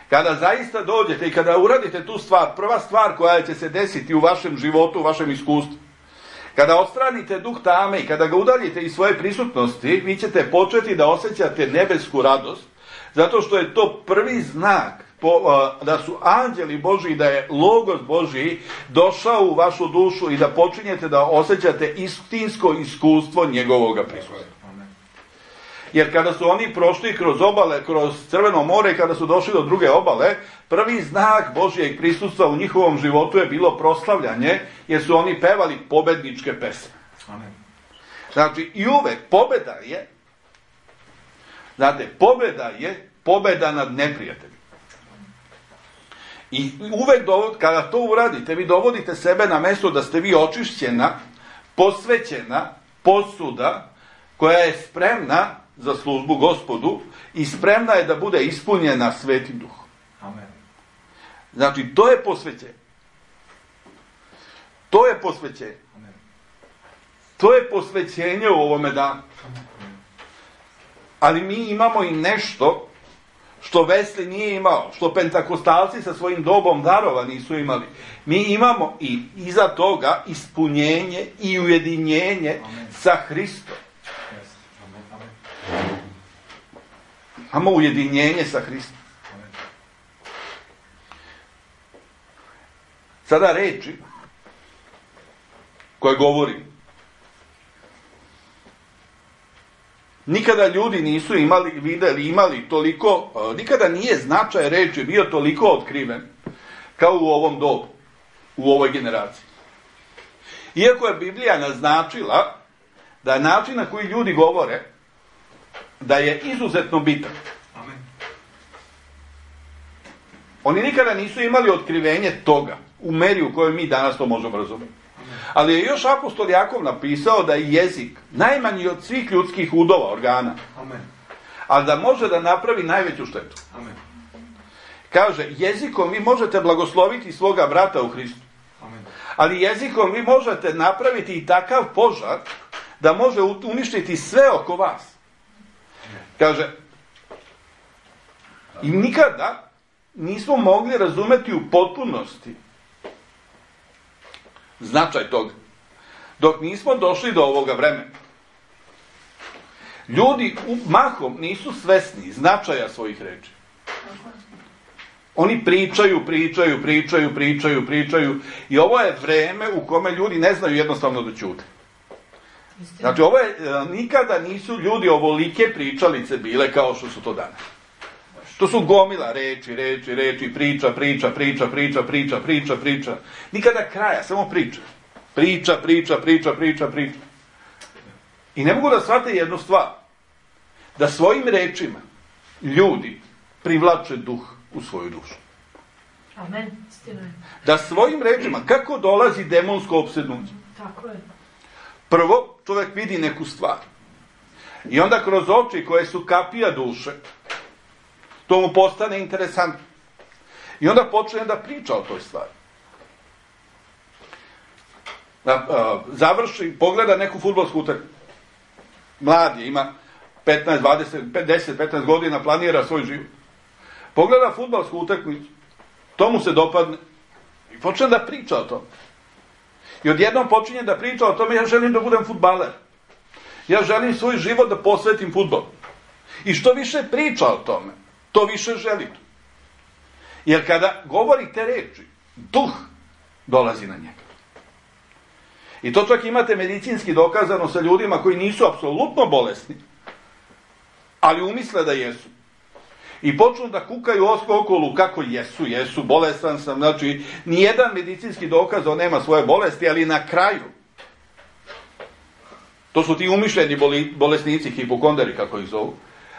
kada zaista dođete i kada uradite tu stvar, prva stvar koja će se desiti u vašem životu, u vašem iskustvu, kada odstranite duh tame i kada ga udaljite iz svoje prisutnosti, vi ćete početi da osjećate nebesku radost, zato što je to prvi znak po, da su anđeli Božji, da je Logos Božji došao u vašu dušu i da počinjete da osjećate istinsko iskustvo njegovoga prisustva. Jer kada su oni prošli kroz obale, kroz Crveno more i kada su došli do druge obale, prvi znak Božjeg prisustva u njihovom životu je bilo proslavljanje, jer su oni pevali pobedničke pesme. Amen. Znači, i uvek pobeda je Znate, pobjeda je pobjeda nad neprijateljem. I uvek dovod, kada to uradite, vi dovodite sebe na mesto da ste vi očišćena, posvećena posuda koja je spremna za službu Gospodu i spremna je da bude ispunjena Svetim Duhom. Amen. Znači, to je posvećenje. To je posvećenje. Amen. To je posvećenje u ovome danu. Ali mi imamo i nešto što Wesley nije imao, što pentakostalci sa svojim dobom darova nisu imali. Mi imamo i iza toga ispunjenje i ujedinjenje Amen. Sa Hristom. Yes. Amen. Amen. Imamo ujedinjenje sa Hristom. Amen. Sada reči koje govorim. Nikada ljudi nisu imali, videli, imali toliko, nikada nije značaj reči bio toliko otkriven kao u ovom dobu, u ovoj generaciji. Iako je Biblija naznačila da je način na koji ljudi govore, da je izuzetno bitan. Amen. Oni nikada nisu imali otkrivenje toga, u meri u kojoj mi danas to možemo razumjeti. Ali je još apostol Jakov napisao da je jezik najmanji od svih ljudskih udova, organa. Amen. Ali da može da napravi najveću štetu. Amen. Kaže, jezikom vi možete blagosloviti svoga brata u Hristu. Amen. Ali jezikom vi možete napraviti i takav požar da može uništiti sve oko vas. Kaže, i nikada nismo mogli razumeti u potpunosti značaj toga, dok nismo došli do ovoga vremena. Ljudi mahom nisu svesni značaja svojih reči. Oni pričaju, pričaju, pričaju, pričaju, pričaju i ovo je vreme u kome ljudi ne znaju jednostavno da ćute. Znači, ovo je, nikada nisu ljudi ovolike pričalice bile kao što su to danas. To su gomila reči, reči, reči, priča, priča, priča, priča, priča, priča, priča. Nikada kraja, samo priča. Priča, priča, priča, priča, priča. I ne mogu da shvate jednu stvar. Da svojim rečima ljudi privlače duh u svoju dušu. Amen. Istina je. Da svojim rečima, kako dolazi demonsko opsednuće? Tako je. Prvo, čovjek vidi neku stvar. I onda kroz oči koje su kapija duše, to mu postane interesantno. I onda počne da priča o toj stvari. Da, a, završi, pogleda neku fudbalsku utakmicu. Mlad je, ima petnaest, dvadeset, deset, petnaest godina, planira svoj život. Pogleda fudbalsku utakmicu, to mu se dopadne i počne da priča o tome. I odjednom počinje da priča o tome, ja želim da budem fudbaler. Ja želim svoj život da posvetim fudbalu. I što više priča o tome, to više želi to. Jer kada govori te reči, duh dolazi na njega. I to čak imate medicinski dokazano sa ljudima koji nisu apsolutno bolesni, ali umisle da jesu. I počnu da kukaju okolo kako jesu, jesu, bolestan sam, znači, nijedan medicinski dokaz on nema svoje bolesti, ali na kraju, to su ti umišljeni bolesnici, hipokonderi, kako ih zovu,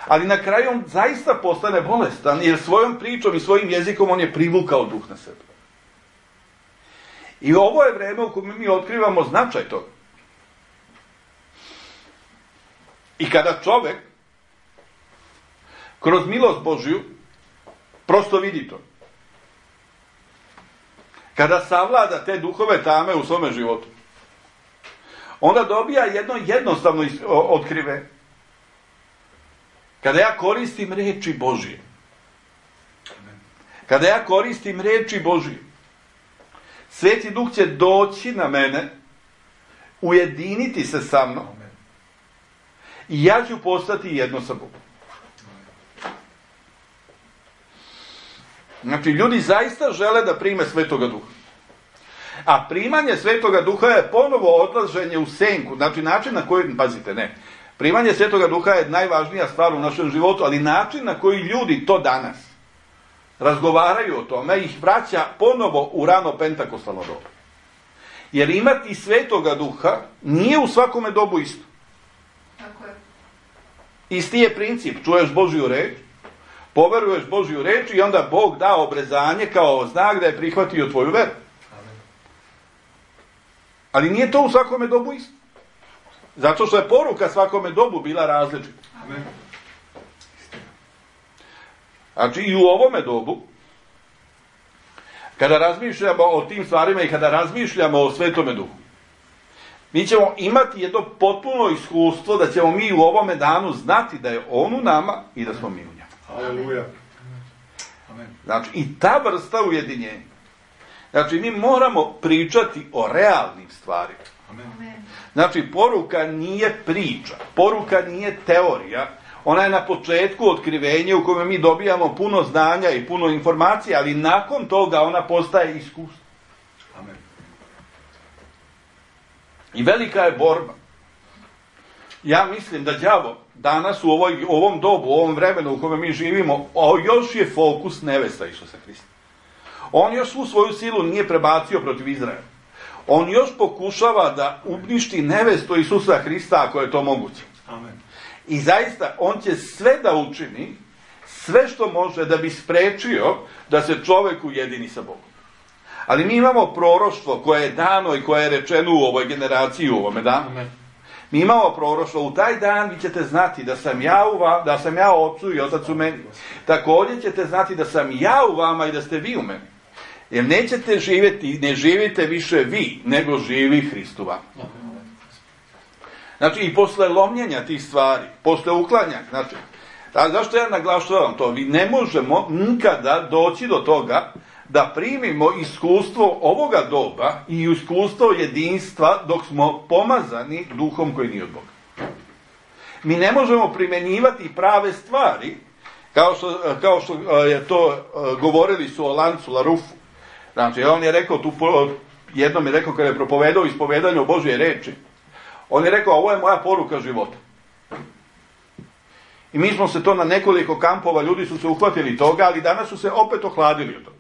ali na kraju on zaista postane bolestan, jer svojom pričom i svojim jezikom on je privukao duh na sebe. I ovo je vreme u kojem mi otkrivamo značaj toga. I kada čovek kroz milost Božju prosto vidi to. Kada savlada te duhove tame u svome životu, onda dobija jedno jednostavno otkrive. Kada ja koristim reči Božje, kada ja koristim reči Božje, Sveti Duh će doći na mene, ujediniti se sa mnom i ja ću postati jedno sa Bogom. Znači, ljudi zaista žele da prime Svetoga Duha. A primanje Svetoga Duha je ponovo odlaženje u senku. Znači, način na koji, pazite, ne, primanje Svetoga Duha je najvažnija stvar u našem životu, ali način na koji ljudi to danas razgovaraju o tome ih vraća ponovo u rano pentakostalno dobu. Jer imati Svetoga Duha nije u svakome dobu isto. Tako je. Isti je princip, čuješ Božju reč, poveruješ Božju reč i onda Bog da obrezanje kao znak da je prihvatio tvoju veru. Ali nije to u svakome dobu isto. Zato što je poruka svakome dobu bila različita. Znači i u ovome dobu, kada razmišljamo o tim stvarima i kada razmišljamo o Svetome Duhu, mi ćemo imati jedno potpuno iskustvo da ćemo mi u ovome danu znati da je On u nama i da smo mi u njemu. Aleluja. Znači, i ta vrsta ujedinjenja. Znači, mi moramo pričati o realnim stvarima. Amen. Znači, poruka nije priča, poruka nije teorija, ona je na početku otkrivenja u kojem mi dobijamo puno znanja i puno informacija, ali nakon toga ona postaje iskustvo. Amen. I velika je borba. Ja mislim da đavo danas u ovoj, ovom dobu, u ovom vremenu u kojem mi živimo, o, još je fokus nevesta Isusa Hrista. On još svu svoju silu nije prebacio protiv Izraela. On još pokušava da uništi nevestu Isusa Hrista ako je to moguće. Amen. I zaista, on će sve da učini, sve što može da bi sprečio da se čovjek ujedini sa Bogom. Ali mi imamo proroštvo koje je dano i koje je rečeno u ovoj generaciji, u ovome danu. Amen. Mi imamo proroštvo, u taj dan vi ćete znati da sam ja u vama, da sam ja ocu i otac u meni. Također ćete znati da sam ja u vama i da ste vi u meni. Jer nećete živjeti, ne živite više vi, nego živi Hrist u vama. Znači i posle lomljenja tih stvari, posle uklanjanja, znači, a zašto ja naglašavam to? Vi ne možemo nikada doći do toga da primimo iskustvo ovoga doba i iskustvo jedinstva dok smo pomazani duhom koji nije od Boga. Mi ne možemo primjenjivati prave stvari, kao što, kao što je to govorili su o lancu Larufu. Znači, on je rekao, tu, jednom je rekao kada je propovedao ispovedanje o Božje reči, on je rekao, ovo je moja poruka života. I mi smo se to na nekoliko kampova, ljudi su se uhvatili toga, ali danas su se opet ohladili od toga.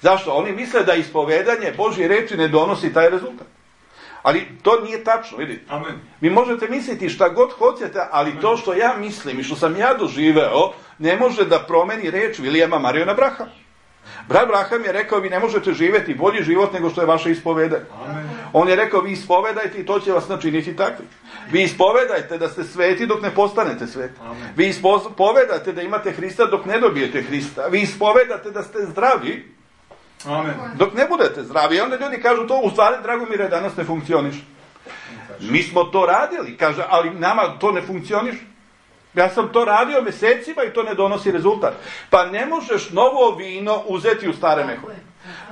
Zašto? Oni misle da ispovedanje Božje reči ne donosi taj rezultat. Ali to nije tačno, vidite. Amen. Vi možete misliti šta god hoćete, ali Amen. To što ja mislim i što sam ja doživeo, ne može da promeni reč Vilijama Mariona Brahama. Brat Braham je rekao, vi ne možete živjeti bolji život nego što je vaše ispovedanje. Amen. On je rekao, vi ispovedajte i to će vas načiniti takvi. Vi ispovedajte da ste sveti dok ne postanete sveti. Amen. Vi ispovedajte da imate Hrista dok ne dobijete Hrista. Vi ispovedate da ste zdravi Amen. dok ne budete zdravi. I onda ljudi kažu to, u stvari, Dragomire, danas ne funkcioniš. Mi smo to radili, kaže, ali nama to ne funkcioniš. Ja sam to radio mjesecima i to ne donosi rezultat. Pa ne možeš novo vino uzeti u stare mehove.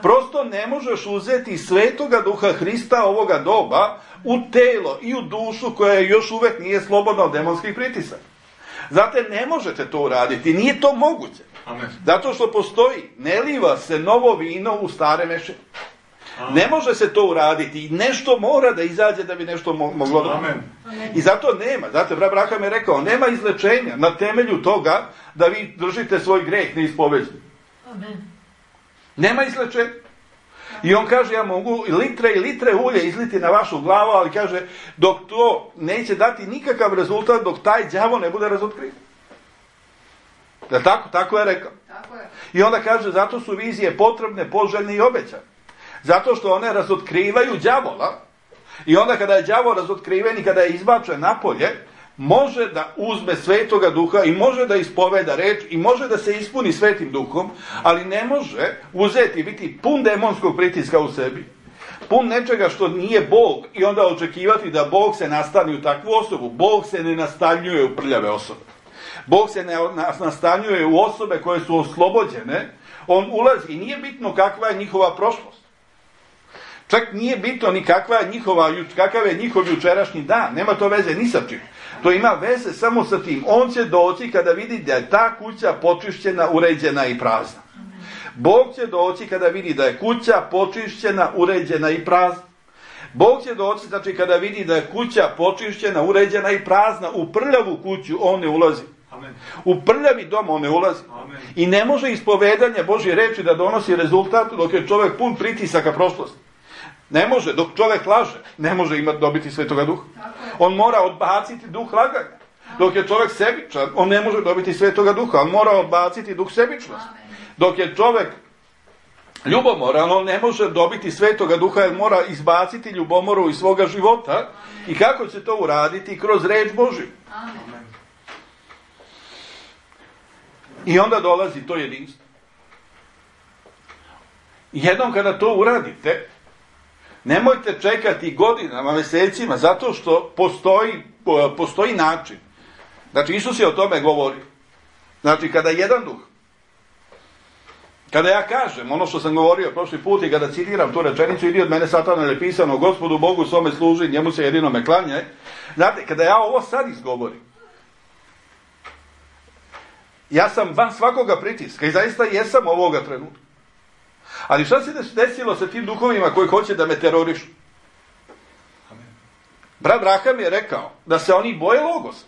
Prosto ne možeš uzeti Svetoga Duha Hrista ovoga doba u telo i u dušu koja još uvijek nije slobodna od demonskih pritisaka. Zato ne možete to uraditi. Nije to moguće. Amen. Zato što postoji, ne liva se novo vino u stare mešine. Ne može se to uraditi. Nešto mora da izađe da bi nešto mo- moglo da... Amen. I zato nema. Zato brat Braham je rekao, nema izlečenja na temelju toga da vi držite svoj greh neispoveđen. Amen. Nema izlečenja. I on kaže, ja mogu litre i litre ulje izliti na vašu glavu, ali kaže, dok to neće dati nikakav rezultat, dok taj đavo ne bude razotkriven. Da tako? Tako je rekao. Tako je. I onda kaže, zato su vizije potrebne, poželjne i obećane. Zato što one razotkrivaju đavola. I onda kada je đavo razotkriven i kada je izbačen napolje, može da uzme Svetoga Duha i može da ispoveda reč i može da se ispuni Svetim Duhom, ali ne može uzeti, biti pun demonskog pritiska u sebi, pun nečega što nije Bog i onda očekivati da Bog se nastani u takvu osobu. Bog se ne nastanjuje u prljave osobe. Bog se ne nastanjuje u osobe koje su oslobođene. On ulazi i nije bitno kakva je njihova prošlost. Čak nije bitno ni kakva je njihova, kakav je njihov jučerašnji dan. Nema to veze ni sa čim. To ima veze samo sa tim. On će doći kada vidi da je ta kuća počišćena, uređena i prazna. Bog će doći kada vidi da je kuća počišćena, uređena i prazna. Bog će doći, znači, kada vidi da je kuća počišćena, uređena i prazna. U prljavu kuću on ne ulazi. Amen. U prljavi dom on ne ulazi. Amen. I ne može ispovedanje Božje reči da donosi rezultat dok je čovjek pun pritisaka prošlosti. Ne može, dok čovjek laže, ne može imati dobiti Svetoga Duha. On mora odbaciti duh laganja. Dok je čovjek sebičan, on ne može dobiti Svetoga Duha, on mora odbaciti duh sebičnosti. Dok je čovjek ljubomoran, on ne može dobiti Svetoga Duha jer mora izbaciti ljubomoru iz svoga života. I kako će to uraditi? Kroz reč Božju. I onda dolazi to jedinstvo. Jednom kada to uradite, nemojte čekati godinama, mjesecima, zato što postoji, postoji način. Znači, Isus je o tome govorio. Znači, kada jedan duh, kada ja kažem ono što sam govorio prošli put i kada citiram tu rečenicu, idi od mene satana, jer je pisano, Gospodu Bogu svome služi, njemu se jedino me klanjaj. Znate, kada ja ovo sad izgovorim, ja sam van svakoga pritiska i zaista jesam ovoga trenutka. Ali šta se desilo sa tim duhovima koji hoće da me terorišu? Brat Braham je rekao da se oni boje Logosa.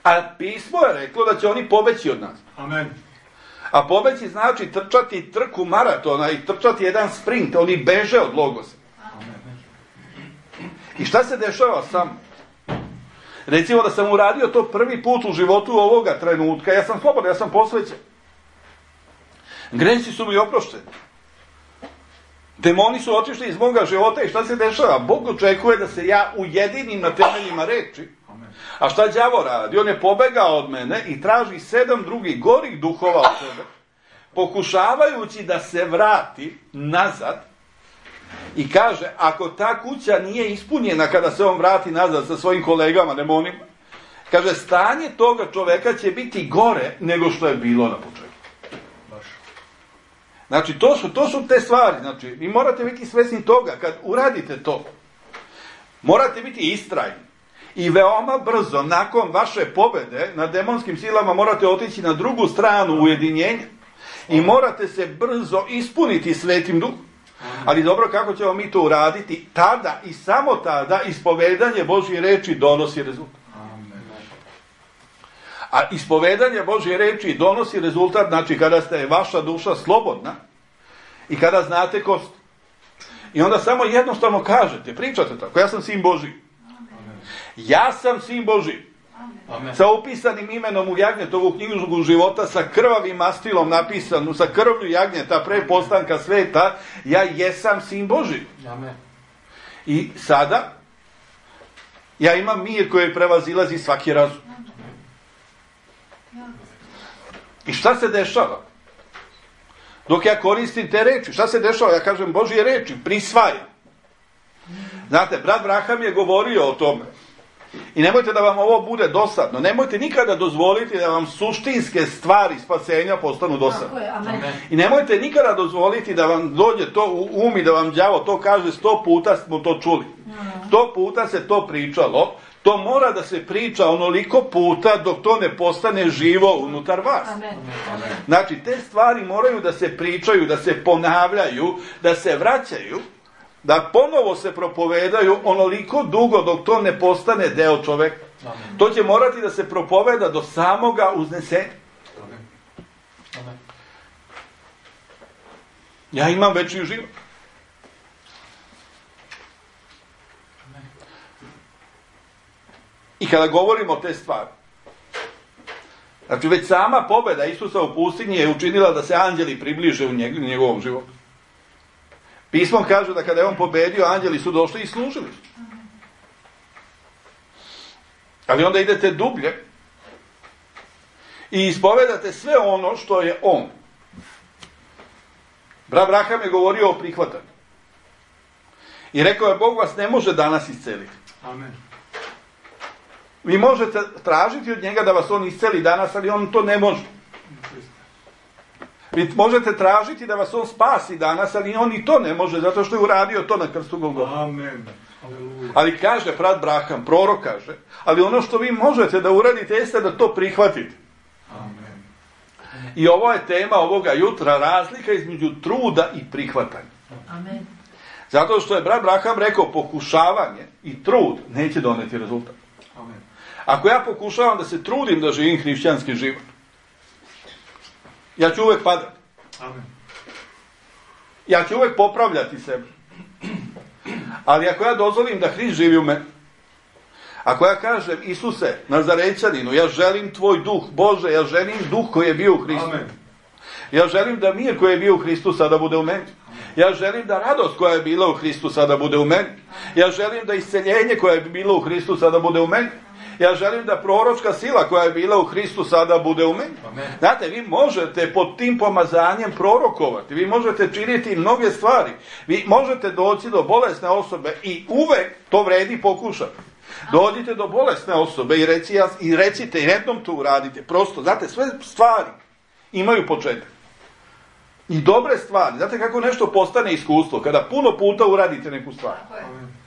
A pismo je reklo da će oni pobeći od nas. Amen. A pobeći znači trčati trku maratona i trčati jedan sprint. Oni beže od Logosa. Amen. I šta se dešava sam? Recimo da sam uradio to prvi put u životu ovoga trenutka. Ja sam slobodan, ja sam posvećen. Gresi su mi oprošteni. Demoni su otišli iz moga života i šta se dešava? Bog očekuje da se ja ujedinim na temeljima reči. A šta đavo radi? On je pobegao od mene i traži sedam drugih gorih duhova od sebe, pokušavajući da se vrati nazad i kaže, ako ta kuća nije ispunjena kada se on vrati nazad sa svojim kolegama, demonima, kaže, stanje toga čoveka će biti gore nego što je bilo na početku. Znači, to su, to su te stvari. Znači, vi morate biti svjesni toga, kad uradite to, morate biti istrajni. I veoma brzo, nakon vaše pobjede nad demonskim silama, morate otići na drugu stranu ujedinjenja. I morate se brzo ispuniti Svetim Duhom. Ali dobro, kako ćemo mi to uraditi? Tada i samo tada ispovedanje Božje reči donosi rezultat. A ispovedanje Božje reči donosi rezultat, znači kada ste vaša duša slobodna i kada znate ko ste. I onda samo jednostavno kažete, pričate tako, ja sam sin Božji. Ja sam sin Božji. Amen. Sa upisanim imenom u jagnjetovu knjigu života, sa krvavim mastilom napisanu, sa krvlju jagnjeta pre postanka sveta, ja jesam sin Božji. Amen. I sada ja imam mir koji prevazilazi svaki razum. I šta se dešava? Dok ja koristim te reči, šta se dešava? Ja kažem Božje reči, prisvajam. Znate, brat Braham je govorio o tome. I nemojte da vam ovo bude dosadno. Nemojte nikada dozvoliti da vam suštinske stvari spasenja postanu dosadne. I nemojte nikada dozvoliti da vam dođe to u um i da vam đavo to kaže sto puta smo to čuli. Sto puta se to pričalo. To mora da se priča onoliko puta dok to ne postane živo unutar vas. Amen. Znači, te stvari moraju da se pričaju, da se ponavljaju, da se vraćaju, da ponovo se propovedaju onoliko dugo dok to ne postane deo čoveka. Amen. To će morati da se propoveda do samoga uznesenja. Amen. Amen. Ja imam večni život. I kada govorimo o te stvari, znači već sama pobjeda Isusa u pustinji je učinila da se anđeli približe u njegovom životu. Pismo kaže da kada je on pobedio, anđeli su došli i služili. Ali onda idete dublje i ispovedate sve ono što je on. Brat Braham je govorio o prihvatanju. I rekao je, Bog vas ne može danas isceliti. Amen. Vi možete tražiti od njega da vas on isceli danas, ali on to ne može. Vi možete tražiti da vas on spasi danas, ali on i to ne može, zato što je uradio to na krstu Golgota. Amen. Ali kaže brat Braham, prorok kaže, ali ono što vi možete da uradite jeste da to prihvatite. Amen. I ovo je tema ovoga jutra, razlika između truda i prihvatanja. Amen. Zato što je brat Braham rekao, pokušavanje i trud neće doneti rezultat. Amen. Ako ja pokušavam da se trudim da živim hrišćanski život, ja ću uvek padati. Amen. Ja ću uvek popravljati sebe. Ali ako ja dozvolim da Hrist živi u meni, Ako ja kažem, Isuse, Nazarećaninu, ja želim tvoj duh, Bože, ja želim duh koji je bio u Hristu. Amen. Ja želim da mir koji je bio u Hristu sada bude u meni. Ja želim da radost koja je bila u Hristu sada bude u meni. Ja želim da isceljenje koje je bilo u Hristu sada bude u meni. Ja želim da proročka sila koja je bila u Hristu sada bude u meni. Amen. Znate, vi možete pod tim pomazanjem prorokovati. Vi možete činiti mnoge stvari. Vi možete doći do bolesne osobe i uvek to vredi pokušati. Dođite do bolesne osobe i, reci, i recite, i jednom to uradite. Prosto, znate, sve stvari imaju početak. I dobre stvari. Znate kako nešto postane iskustvo? Kada puno puta uradite neku stvar. Amen.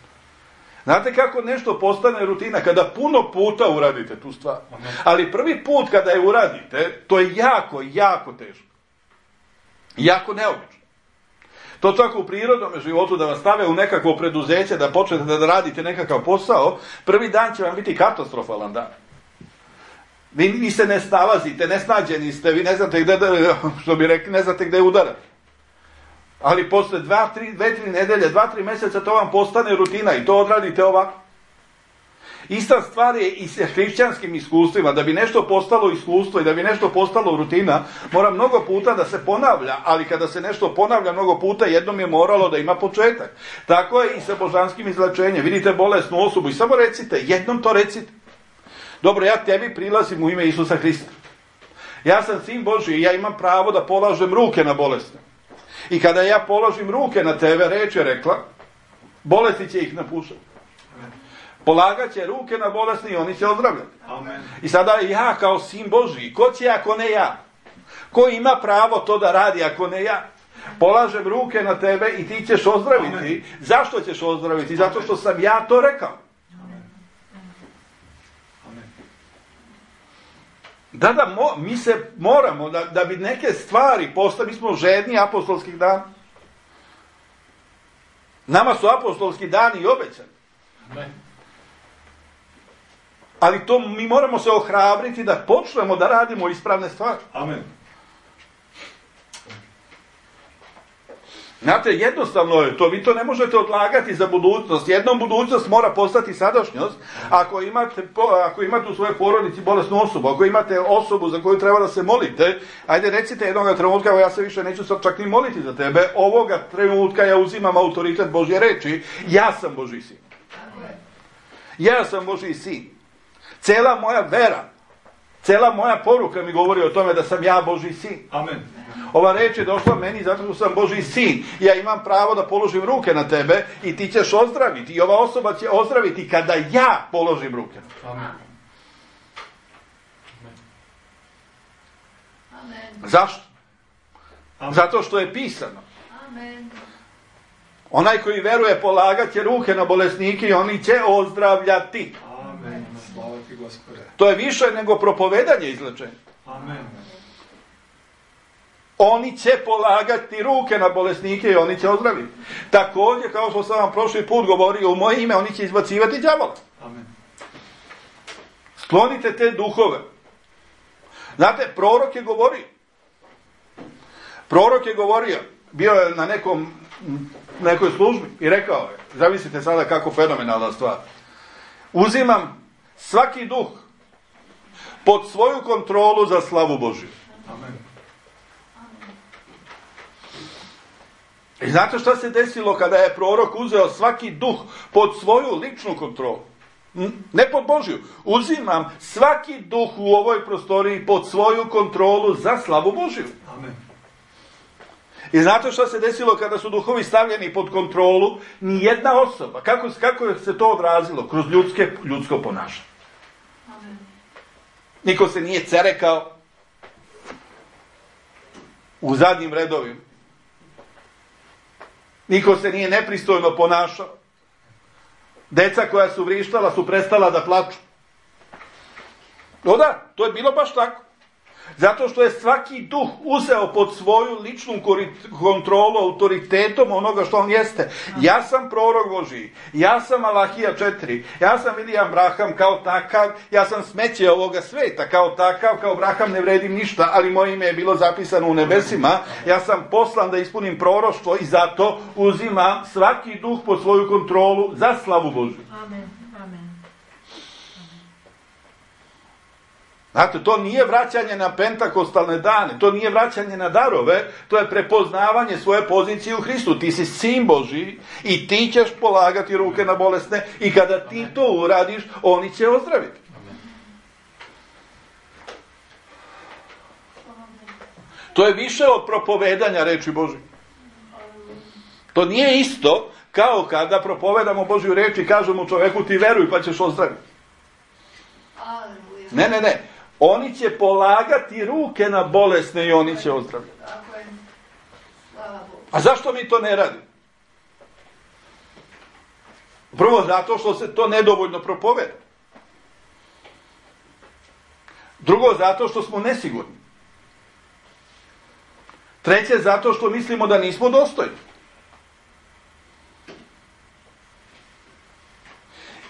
Znate kako nešto postane rutina? Kada puno puta uradite tu stvar. Ali prvi put kada je uradite, to je jako, jako teško. Jako neobično. To tako u prirodnom životu da vas stave u nekakvo preduzeće, da počnete da radite nekakav posao, prvi dan će vam biti katastrofalan dan. Vi, vi se ne snalazite, nesnađeni ste, vi ne znate gde, da, što bi rekli, ne znate gde udarati. Ali posle dva, tri, dve, tri nedelje, dva, tri mjeseca to vam postane rutina i to odradite ovako. Ista stvar je i sa hrišćanskim iskustvima. Da bi nešto postalo iskustvo i da bi nešto postalo rutina, mora mnogo puta da se ponavlja, ali kada se nešto ponavlja mnogo puta, jednom je moralo da ima početak. Tako je i sa božanskim izlečenjem. Vidite bolesnu osobu i samo recite, jednom to recite. Dobro, ja tebi prilazim u ime Isusa Hrista. Ja sam sin Božji i ja imam pravo da polažem ruke na bolesne. I kada ja položim ruke na tebe, reč je rekla, bolesti će ih napušati. Polagat će ruke na bolesni i oni će ozdravljati. Amen. I sada ja kao sin Božji, ko će ako ne ja? Ko ima pravo to da radi ako ne ja? Polažem ruke na tebe i ti ćeš ozdraviti. Amen. Zašto ćeš ozdraviti? Zato što sam ja to rekao. Da, da, mo, mi se moramo, da, da bi neke stvari postali, mi smo žedni apostolskih dana. Nama su apostolski dani i obećani. Amen. Ali to mi moramo se ohrabriti da počnemo da radimo ispravne stvari. Amen. Znate, jednostavno je to, vi to ne možete odlagati za budućnost. Jednom budućnost mora postati sadašnjost. Ako imate, ako imate u svojoj porodici bolesnu osobu, ako imate osobu za koju treba da se molite, ajde recite jednoga trenutka, ja se više neću sad čak ni moliti za tebe, ovoga trenutka ja uzimam autoritet Božje reči, ja sam Božji sin. Ja sam Božji sin. Cela moja vera, cela moja poruka mi govori o tome da sam ja Božji sin. Amen. Ova reč je došla meni zato što sam Božji sin. Ja imam pravo da položim ruke na tebe i ti ćeš ozdraviti. I ova osoba će ozdraviti kada ja položim ruke. Amen. Amen. Zašto? Amen. Zato što je pisano. Amen. Onaj koji veruje polagat će ruke na bolesnike i oni će ozdravljati. Amen. Slava ti, Gospode. To je više nego propovedanje izlečenja. Amen. Oni će polagati ruke na bolesnike i oni će ozdraviti. Također, kao što sam vam prošli put govorio, u moje ime oni će izbacivati đavola. Amen. Sklonite te duhove. Znate, prorok je govorio. Prorok je govorio, bio je na nekom, nekoj službi i rekao je, zamislite sada kako fenomenalna stvar. Uzimam svaki duh pod svoju kontrolu za slavu Božju. Amen. I znate šta se desilo kada je prorok uzeo svaki duh pod svoju ličnu kontrolu? Ne pod Božju. Uzimam svaki duh u ovoj prostoriji pod svoju kontrolu za slavu Božju. Amen. I znate šta se desilo kada su duhovi stavljeni pod kontrolu? Nijedna osoba. Kako, kako je se to odrazilo? Kroz ljudske, ljudsko ponašanje. Amen. Niko se nije cerekao u zadnjim redovima. Niko se nije nepristojno ponašao. Deca koja su vrištala su prestala da plaču. No da, to je bilo baš tako. Zato što je svaki duh uzeo pod svoju ličnu kontrolu autoritetom onoga što on jeste. Ja sam prorok Božji, ja sam Malahija četiri, ja sam William Branham kao takav, ja sam smeće ovoga sveta kao takav, kao Branham ne vredim ništa, ali moje ime je bilo zapisano u nebesima, ja sam poslan da ispunim proroštvo i zato uzimam svaki duh pod svoju kontrolu za slavu Božju. Amen. Amen. Znate, to nije vraćanje na pentakostalne dane, to nije vraćanje na darove, to je prepoznavanje svoje pozicije u Hristu. Ti si sin Božji i ti ćeš polagati ruke na bolesne i kada ti to uradiš, oni će ozdraviti. To je više od propovedanja reči Božje. To nije isto kao kada propovedamo Božju reč i kažemo čoveku ti veruj pa ćeš ozdraviti. Ne, ne, ne. Oni će polagati ruke na bolesne i oni će ozdraviti. A zašto mi to ne radimo? Prvo zato što se to nedovoljno propoveda. Drugo zato što smo nesigurni. Treće zato što mislimo da nismo dostojni.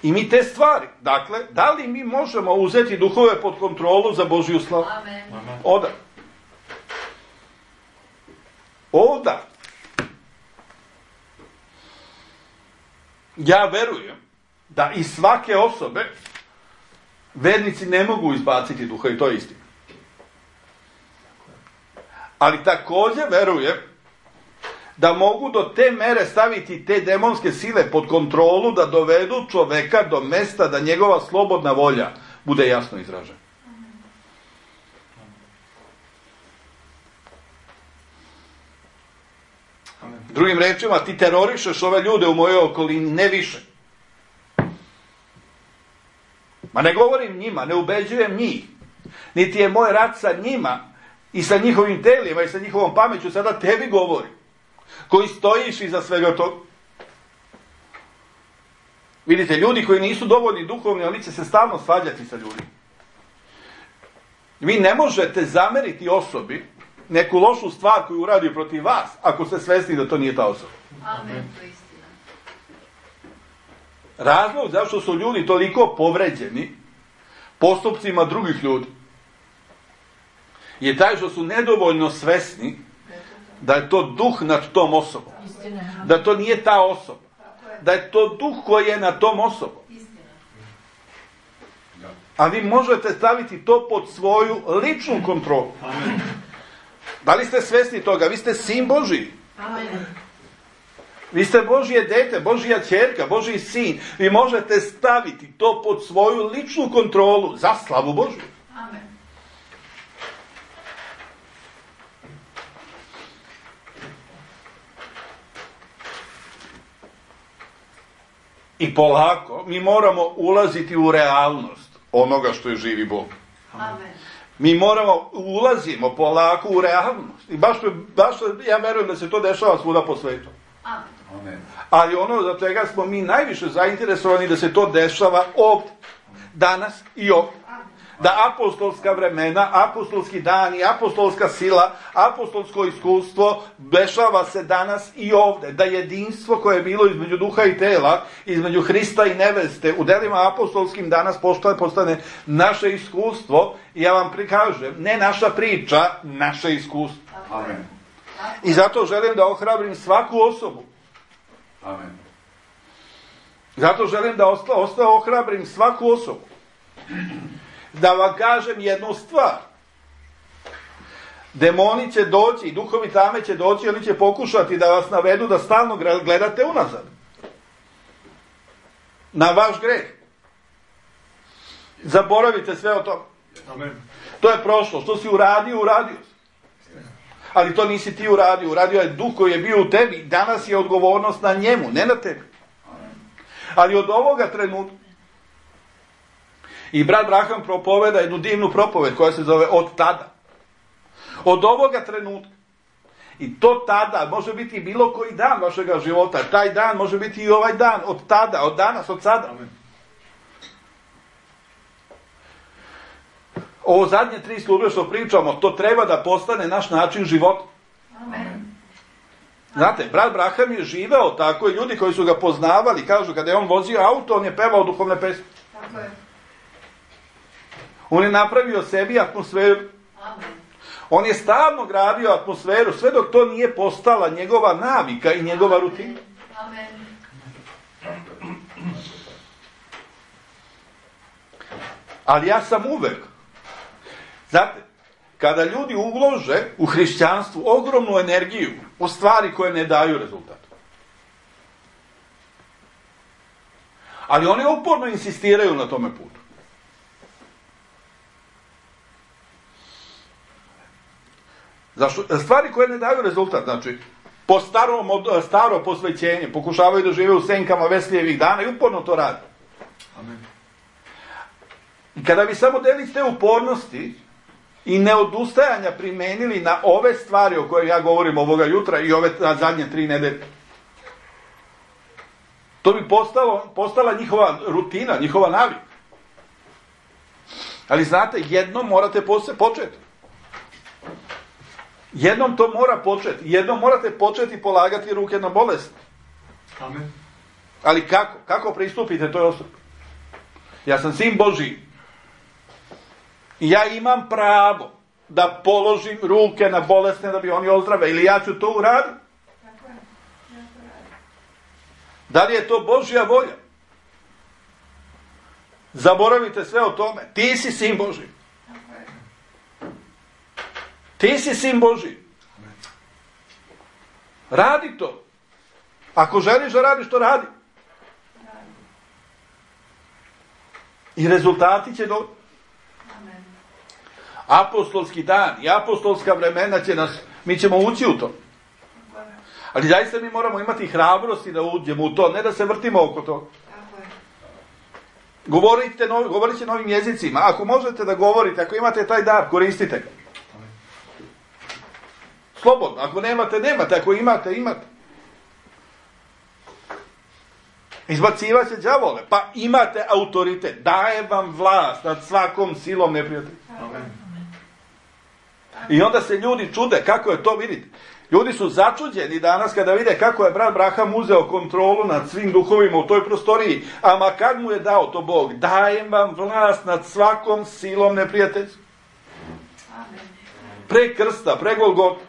I mi te stvari, dakle, da li mi možemo uzeti duhove pod kontrolu za Božju slavu? Amen. Oda. Oda. Ja verujem da iz svake osobe vernici ne mogu izbaciti duha i to je istina. Ali također verujem da mogu do te mere staviti te demonske sile pod kontrolu da dovedu čoveka do mesta da njegova slobodna volja bude jasno izražena. Drugim rečima, ti terorišeš ove ljude u mojoj okolini, ne više. Ma ne govorim njima, ne ubeđujem njih. Niti je moj rat sa njima i sa njihovim telima i sa njihovom pameću, sada tebi govorim. Koji stojiš iza svega toga. Vidite, ljudi koji nisu dovoljni duhovni, oni će se stalno svađati sa ljudima. Vi ne možete zameriti osobi neku lošu stvar koju uradi protiv vas, ako ste svesni da to nije ta osoba. Amen, to je istina. Razlog zašto su ljudi toliko povređeni postupcima drugih ljudi je taj što su nedovoljno svesni da je to duh nad tom osobom. Da to nije ta osoba. Da je to duh koji je nad tom osobom. A vi možete staviti to pod svoju ličnu kontrolu. Amen. Da li ste svesni toga? Vi ste sin Božji. Amen. Vi ste Božje dete, Božja ćerka, Božji sin. Vi možete staviti to pod svoju ličnu kontrolu za slavu Božju. Amen. I polako mi moramo ulaziti u realnost onoga što je živi Bog. Amen. Mi moramo, ulazimo polako u realnost. I baš, baš ja verujem da se to dešava svuda po svetu. Amen. Ali ono za čega smo mi najviše zainteresovani da se to dešava ovdje. Danas i ovdje. Da apostolska vremena, apostolski dani, apostolska sila, apostolsko iskustvo dešava se danas i ovdje. Da jedinstvo koje je bilo između duha i tela, između Hrista i neveste, u delima apostolskim danas postane, postane naše iskustvo. I ja vam prikažem, ne naša priča, naše iskustvo. Amen. I zato želim da ohrabrim svaku osobu. Amen. Zato želim da osta, osta ohrabrim svaku osobu. Da vam kažem jednu stvar. Demoni će doći i duhovi tame će doći, oni će pokušati da vas navedu da stalno gledate unazad. Na vaš greh. Zaboravite sve o tome. Amen. To je prošlo. Što si uradio, uradio si. Ali to nisi ti uradio. Uradio je duh koji je bio u tebi. Danas je odgovornost na njemu, ne na tebi. Ali od ovoga trenutka i brat Braham propoveda jednu divnu propoved koja se zove od tada. Od ovoga trenutka. I to tada može biti bilo koji dan vašega života. Taj dan može biti i ovaj dan. Od tada, od danas, od sada. Amen. Ovo zadnje tri službe što pričamo, to treba da postane naš način života. Amen. Znate, brat Braham je živeo tako i ljudi koji su ga poznavali, kažu kada je on vozio auto, on je pevao duhovne pesme. Tako je. On je napravio sebi atmosferu. Amen. On je stalno gradio atmosferu, sve dok to nije postala njegova navika i njegova rutina. Amen. Ali ja sam uvek Znate, kada ljudi ulože u hrišćanstvu ogromnu energiju u stvari koje ne daju rezultat. Ali oni uporno insistiraju na tome putu. Zašto? Stvari koje ne daju rezultat, znači, po starom, staro posvećenje, pokušavaju da žive u senkama Veslijevih dana i uporno to rade. Amen. I kada bi samo delić te upornosti i neodustajanja primenili na ove stvari o koje ja govorim ovoga jutra i ove zadnje tri nedelje, to bi postalo, postala njihova rutina, njihova navika. Ali znate, jednom morate početi. Jednom to mora početi. Jednom morate početi polagati ruke na bolest. Amen. Ali kako? Kako pristupite toj osobi? Ja sam sin Božji. I ja imam pravo da položim ruke na bolesne da bi oni ozdrave. Ili ja ću to uraditi. Da li je to Božja volja? Zaboravite sve o tome. Ti si sin Božji. Ti si sin Božji. Radi to. Ako želiš da radiš, to radi. I rezultati će doći. Apostolski dan i apostolska vremena će nas, mi ćemo ući u to. Ali zaista mi moramo imati hrabrosti da uđemo u to, ne da se vrtimo oko toga. Govorite, novi, govorite novim jezicima. Ako možete da govorite, ako imate taj dar, koristite ga. Slobodno. Ako nemate, nemate. Ako imate, imate. Izbacivat će đavole. Pa imate autoritet. Daje vam vlast nad svakom silom neprijatelja. I onda se ljudi čude kako je to, vidite. Ljudi su začuđeni danas kada vide kako je brat Braham uzeo kontrolu nad svim duhovima u toj prostoriji. Ama kad mu je dao to Bog? Dajem vam vlast nad svakom silom neprijateljstva. Pre krsta, pre Golgote.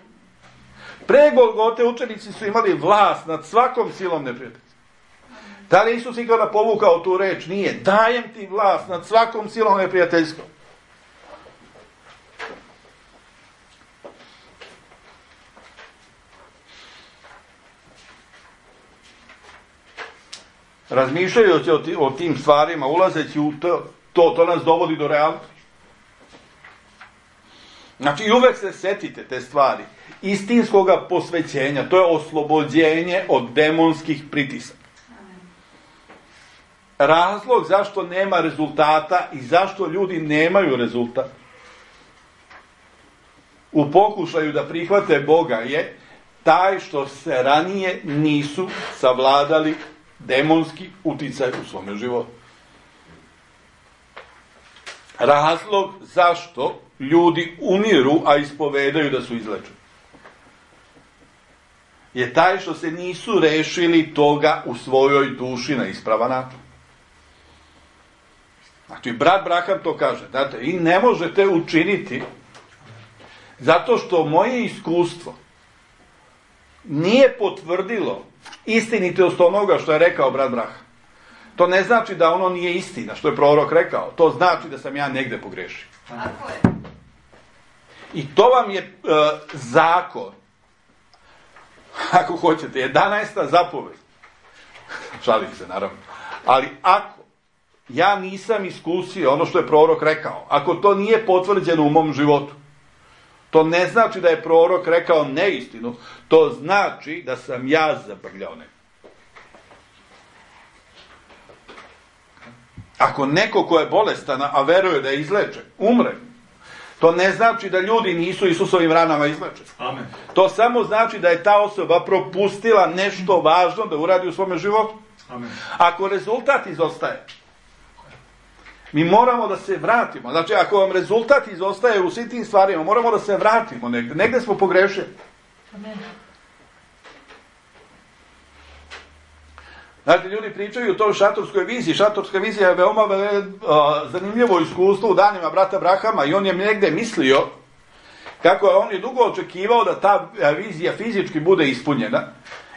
Pre Golgote učenici su imali vlast nad svakom silom neprijateljstva. Da li Isus ikada povukao tu reč? Nije. Dajem ti vlast nad svakom silom neprijateljstva. Razmišljajući o, ti, o tim stvarima, ulazeći u to, to, to nas dovodi do realnosti. Znači, uvek se setite te stvari. Istinskoga posvećenja, to je oslobođenje od demonskih pritisaka. Razlog zašto nema rezultata i zašto ljudi nemaju rezultat u pokušaju da prihvate Boga je taj što se ranije nisu savladali demonski uticaj u svome životu. Razlog zašto ljudi umiru, a ispovedaju da su izlečeni, je taj što se nisu rešili toga u svojoj duši na ispravan način. Znači, brat Braham to kaže, znate, i ne možete učiniti zato što moje iskustvo nije potvrdilo istinitost onoga što je rekao brat Braham. To ne znači da ono nije istina, što je prorok rekao. To znači da sam ja negde pogrešio. Tako je. I to vam je uh, zakon. Ako hoćete, jedanaesta zapoved. Šalim se, naravno. Ali ako ja nisam iskusio ono što je prorok rekao, ako to nije potvrđeno u mom životu, to ne znači da je prorok rekao neistinu, to znači da sam ja zabrljao neko. Ako neko ko je bolestan, a veruje da je izlečen, umre, to ne znači da ljudi nisu Isusovim ranama izlečeni. Amen. To samo znači da je ta osoba propustila nešto važno da uradi u svome životu. Amen. Ako rezultat izostaje, mi moramo da se vratimo. Znači, ako vam rezultat izostaje u svim tim stvarima, moramo da se vratimo negde. Negde smo pogrešili. Amen. Znači, ljudi pričaju o toj šatorskoj viziji. Šatorska vizija je veoma ve, uh, zanimljivo iskustvo u danima brata Brahama i on je negde mislio kako je on je dugo očekivao da ta vizija fizički bude ispunjena.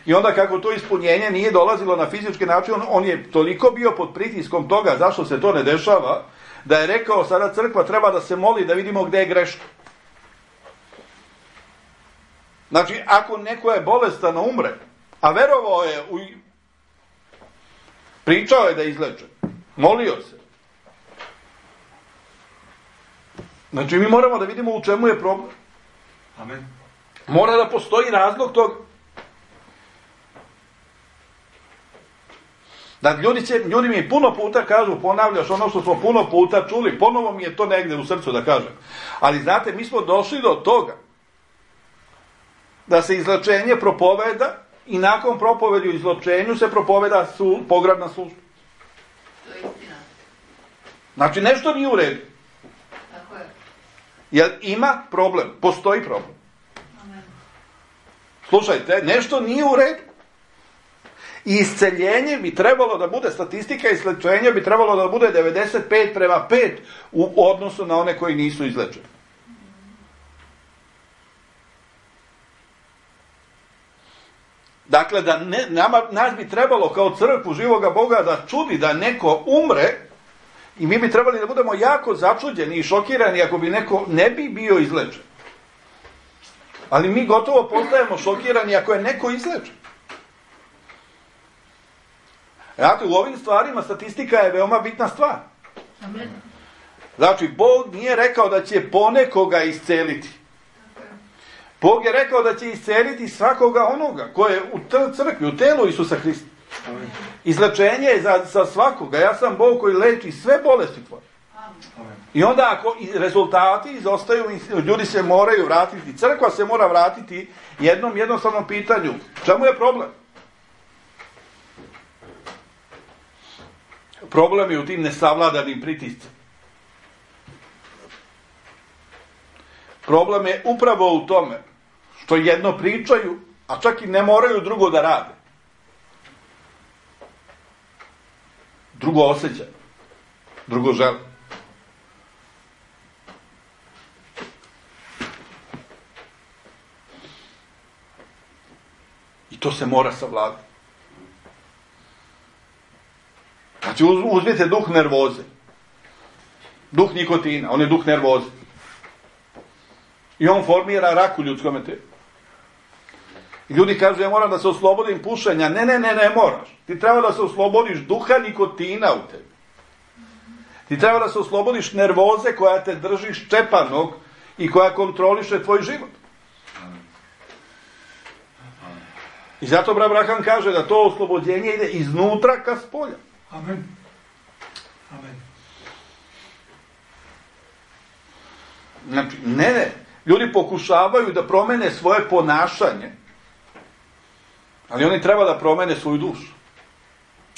I onda kako to ispunjenje nije dolazilo na fizički način, on, on je toliko bio pod pritiskom toga zašto se to ne dešava, da je rekao sada crkva treba da se moli da vidimo gdje je greška. Znači, ako neko je bolestan, umre, a verovao je, u... pričao je da je izlečen, molio se. Znači, mi moramo da vidimo u čemu je problem. Amen. Mora da postoji razlog toga. Da ljudi, će, ljudi mi puno puta kažu, ponavljaš ono što smo puno puta čuli, ponovo mi je to negdje u srcu da kažem. Ali znate, mi smo došli do toga da se izlečenje propoveda i nakon propovedi u izlečenju se propoveda su, pogrebna služba. To je istina. Znači, nešto nije u redu. Tako je. Jer ima problem, postoji problem. Amen. Slušajte, nešto nije u redu. I isceljenje bi trebalo da bude, statistika izlečenja bi trebalo da bude devedeset pet prema pet u odnosu na one koji nisu izlečeni. Dakle, da ne, nama, nas bi trebalo kao crkvu živoga Boga da čudi da neko umre i mi bi trebali da budemo jako začuđeni i šokirani ako bi neko ne bi bio izlečen. Ali mi gotovo postajemo šokirani ako je neko izlečen. Znate, u ovim stvarima statistika je veoma bitna stvar. Amen. Znači, Bog nije rekao da će ponekoga isceliti. Bog je rekao da će isceliti svakoga onoga koje je u crkvi, u telu Isusa Hrista. Amen. Izlečenje je za, za svakoga. Ja sam Bog koji leči sve bolesti tvoje. Amen. I onda ako rezultati izostaju, ljudi se moraju vratiti, crkva se mora vratiti jednom jednostavnom pitanju. Čemu je problem? Problem je u tim nesavladanim pritiscima. Problem je upravo u tome što jedno pričaju, a čak i ne moraju drugo da rade. Drugo osjećaju. Drugo žele. I to se mora savladati. Znači, uzmite duh nervoze. Duh nikotina, on je duh nervoze. I on formira rak u ljudskom tijelu. I ljudi kažu, ja moram da se oslobodim pušenja. Ne, ne, ne, ne moraš. Ti treba da se oslobodiš duha nikotina u tebi. Ti treba da se oslobodiš nervoze koja te drži ščepanog i koja kontroliše tvoj život. I zato brat Abraham kaže da to oslobođenje ide iznutra ka spolja. Amen. Amen. Znači, ne, ne. Ljudi pokušavaju da promene svoje ponašanje, ali oni treba da promene svoju dušu.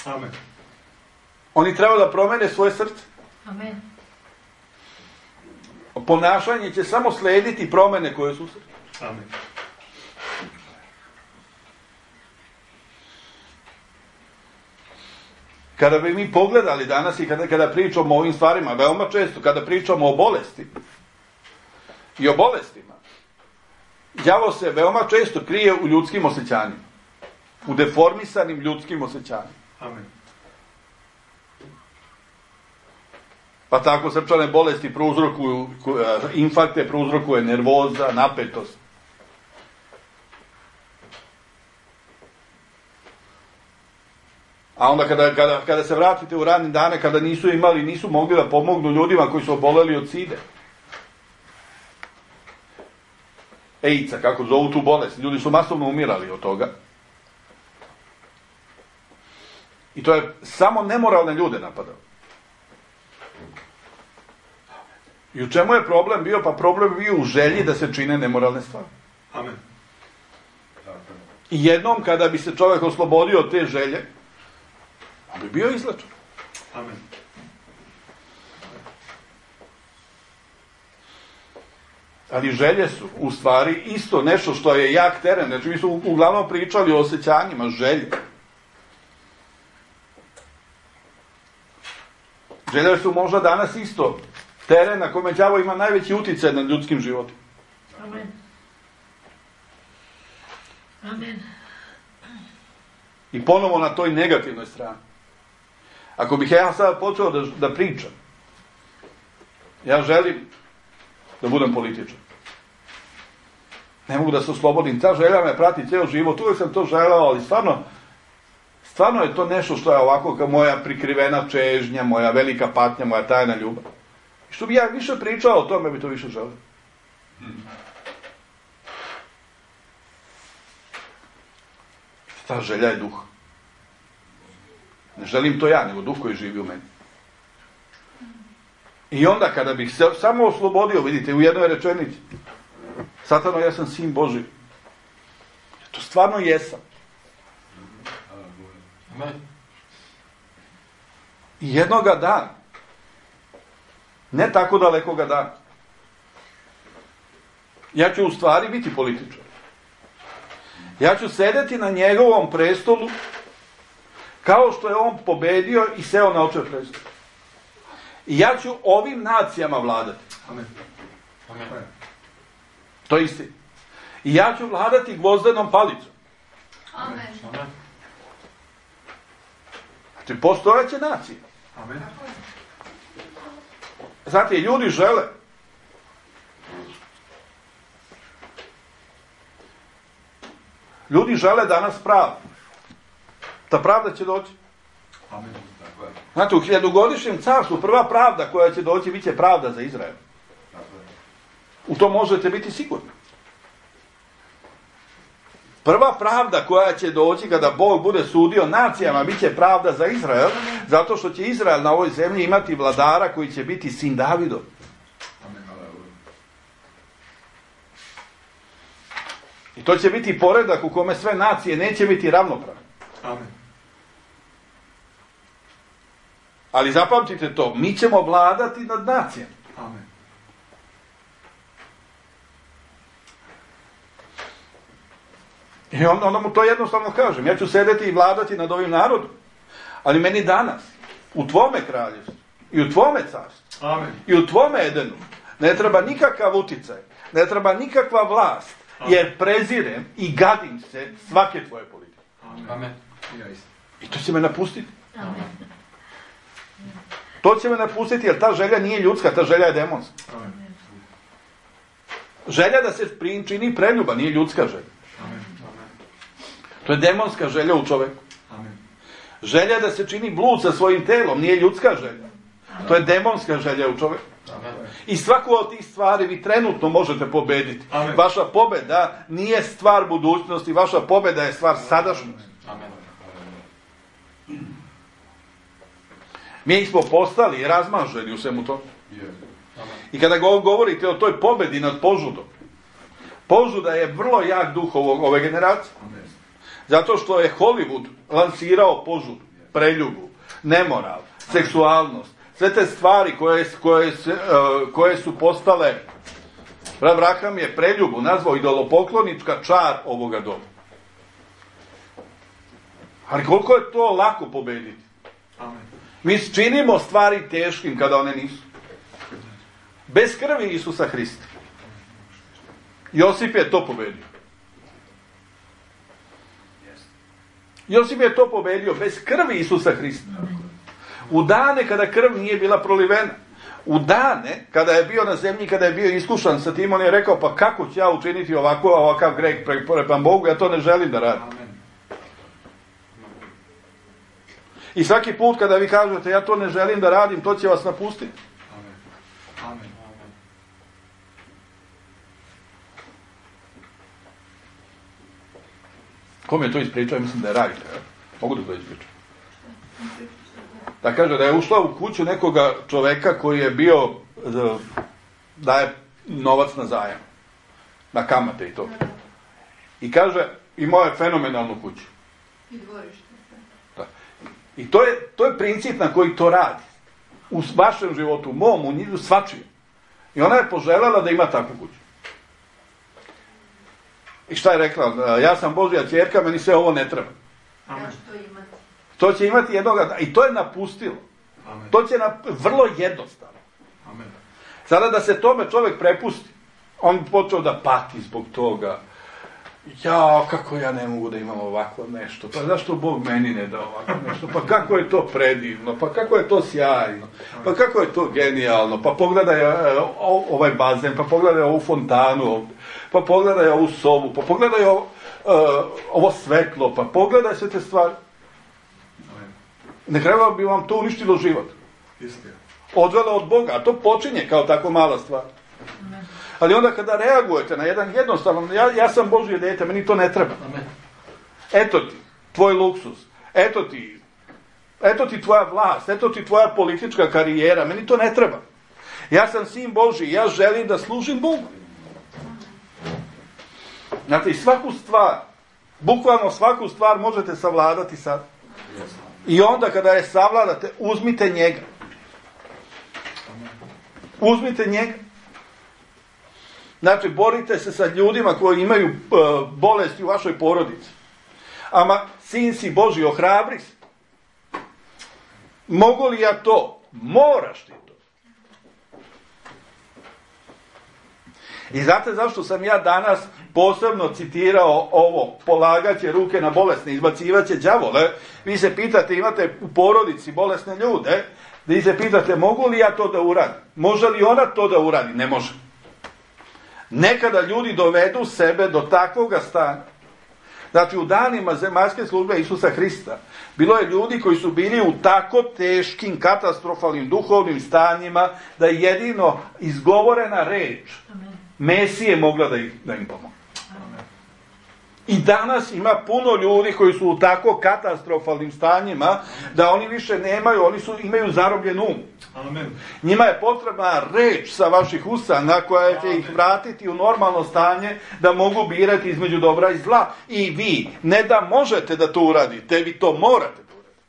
Amen. Oni treba da promene svoje srce. Amen. Ponašanje će samo slediti promene koje su u srcu. Amen. Kada bi mi pogledali danas i kada, kada pričamo o ovim stvarima, veoma često, kada pričamo o bolesti i o bolestima, đavo se veoma često krije u ljudskim osjećanjima. U deformisanim ljudskim osjećanjima. Amen. Pa tako srčane bolesti prouzrokuju, infarkte prouzrokuje nervoza, napetost. A onda kada, kada, kada se vratite u radne dane, kada nisu imali, nisu mogli da pomognu ljudima koji su oboleli od side. AIDS-a, kako zovu tu bolest. Ljudi su masovno umirali od toga. I to je samo nemoralne ljude napadao. I u čemu je problem bio? Pa problem bio u želji da se čine nemoralne stvari. Amen. I jednom kada bi se čovjek oslobodio od te želje, on bi bio izlečen. Amen. Ali želje su u stvari isto nešto što je jak teren. Znači mi smo uglavnom pričali o osjećanjima, želje. Želje su možda danas isto teren na kome đavo ima najveći utjecaj nad ljudskim životom. Amen. Amen. I ponovo na toj negativnoj strani. Ako bih ja sad počeo da, da pričam Ja želim da budem političar. Ne mogu da se oslobodim. Ta želja me prati cijel život. Uvijek sam to želeo, ali stvarno, stvarno je to nešto što je ovako kao moja prikrivena čežnja, moja velika patnja, moja tajna ljubav. I što bi ja više pričao o tome, bi to više želeo. Ta želja je duh. Ne želim to ja, nego duh koji živi u meni. I onda kada bih se samo oslobodio, vidite, u jednoj rečenici, Satano, ja sam sin Boži. To stvarno jesam. I jednoga dana, ne tako dalekoga dana, ja ću u stvari biti političar. Ja ću sedeti na njegovom prestolu kao što je on pobedio i seo na očev prestol. I ja ću ovim nacijama vladati. Amen. Amen. To je istina. I ja ću vladati gvozdenom palicom. Amen. Amen. Znači, postojeće nacije. Amen. Znate, ljudi žele. Ljudi žele danas pravdu. Ta pravda će doći. Amen. Znate, u hiljadugodišnjem carstvu prva pravda koja će doći, bit će pravda za Izrael. U to možete biti sigurni. Prva pravda koja će doći kada Bog bude sudio nacijama, bit će pravda za Izrael, zato što će Izrael na ovoj zemlji imati vladara koji će biti sin Davidov. I to će biti poredak u kome sve nacije neće biti ravnopravne. Amen. Ali zapamtite to, mi ćemo vladati nad nacijama. Amen. I onda, onda mu to jednostavno kažem. Ja ću sedeti i vladati nad ovim narodom. Ali meni danas, u tvome kraljevstvu, i u tvome carstvu, Amen. i u tvome Edenu, ne treba nikakav uticaj, ne treba nikakva vlast, jer prezirem i gadim se svake tvoje politike. Amen. I to će me napustiti. Amen. To će me napustiti, jer ta želja nije ljudska, ta želja je demonska. Amen. Želja da se čini preljuba nije ljudska želja. Amen. To je demonska želja u čoveku. Amen. Želja da se čini blud sa svojim telom nije ljudska želja. To je demonska želja u čoveku. I svaku od tih stvari vi trenutno možete pobediti. Amen. Vaša pobeda nije stvar budućnosti, vaša pobeda je stvar sadašnjosti. Amen. Mi smo postali razmaženi u svemu to. I kada govorite o toj pobedi nad požudom, požuda je vrlo jak duh ovog, ove generacije. Zato što je Hollywood lansirao požudu, preljubu, nemoral, seksualnost, sve te stvari koje, koje, se, uh, koje su postale, Brat Braham je preljubu nazvao idolopoklonička čar ovoga doba. Ali koliko je to lako pobediti? Amen. Mi činimo stvari teškim kada one nisu. Bez krvi Isusa Hrista. Josip je to pobedio. Josip je to pobedio bez krvi Isusa Hrista. U dane kada krv nije bila prolivena. U dane kada je bio na zemlji, kada je bio iskušan sa tim, on je rekao, pa kako ću ja učiniti ovako, ovakav greh prema Bogu, ja to ne želim da radim. Amen. I svaki put kada vi kažete, ja to ne želim da radim, to će vas napustiti. Amen. Amen. Kom je to ispričao? Mislim da je Rajka. Mogu da to ispričam? Da kaže da je ušla u kuću nekoga čoveka koji je bio, daje novac na zajam, na kamate i to. I kaže, imao je fenomenalnu kuću. I dvorište. Da. I to je, to je princip na koji to radi. U vašem životu, u mom, u njih, svačijem. I ona je poželjela da ima takvu kuću. I šta je rekla? Ja sam Božja ćerka, meni sve ovo ne treba. Amen. Ja ću to imati. To će imati jednoga, i to je napustilo. Amen. To će na, vrlo jednostavno. Amen. Sada da se tome čovjek prepusti, on počeo da pati zbog toga. Ja, kako ja ne mogu da imam ovako nešto, pa zašto Bog meni ne da ovako nešto, pa kako je to predivno, pa kako je to sjajno, pa kako je to genijalno, pa pogledaj uh, ovaj bazen, pa pogledaj ovu fontanu ovdje, pa pogledaj ovu sobu, pa pogledaj ovo, uh, ovo svetlo, pa pogledaj sve te stvari. Ne kraju bi vam to uništilo život. Odvelo od Boga, a to počinje kao tako mala stvar. Ali onda kada reagujete na jedan jednostavan, ja, ja sam Božje dijete, meni to ne treba. Eto ti, tvoj luksuz, eto ti, eto ti tvoja vlast, eto ti tvoja politička karijera, meni to ne treba. Ja sam sin Božji, ja želim da služim Bogu. Znate, i svaku stvar, bukvalno svaku stvar možete savladati sad. I onda kada je savladate, uzmite njega. Uzmite njega. Znači, borite se sa ljudima koji imaju uh, bolesti u vašoj porodici. Ama, sin si Božji, ohrabri se. Mogu li ja to? Moraš ti to. I znate zašto sam ja danas posebno citirao ovo, polagaće ruke na bolesne, izbacivaće đavole. Vi se pitate, imate u porodici bolesne ljude, vi se pitate, mogu li ja to da uradim? Može li ona to da uradi? Ne može. Nekada ljudi dovedu sebe do takvoga stanja. Znači, u danima zemaljske službe Isusa Hrista bilo je ljudi koji su bili u tako teškim, katastrofalnim duhovnim stanjima da je jedino izgovorena reč Mesije mogla da, ih, da im pomogne. I danas ima puno ljudi koji su u tako katastrofalnim stanjima da oni više nemaju, oni su, imaju zarobljen um. Amen. Njima je potrebna reč sa vaših usana koja će ih vratiti u normalno stanje da mogu birati između dobra i zla. I vi ne da možete da to uradite, vi to morate da uradite.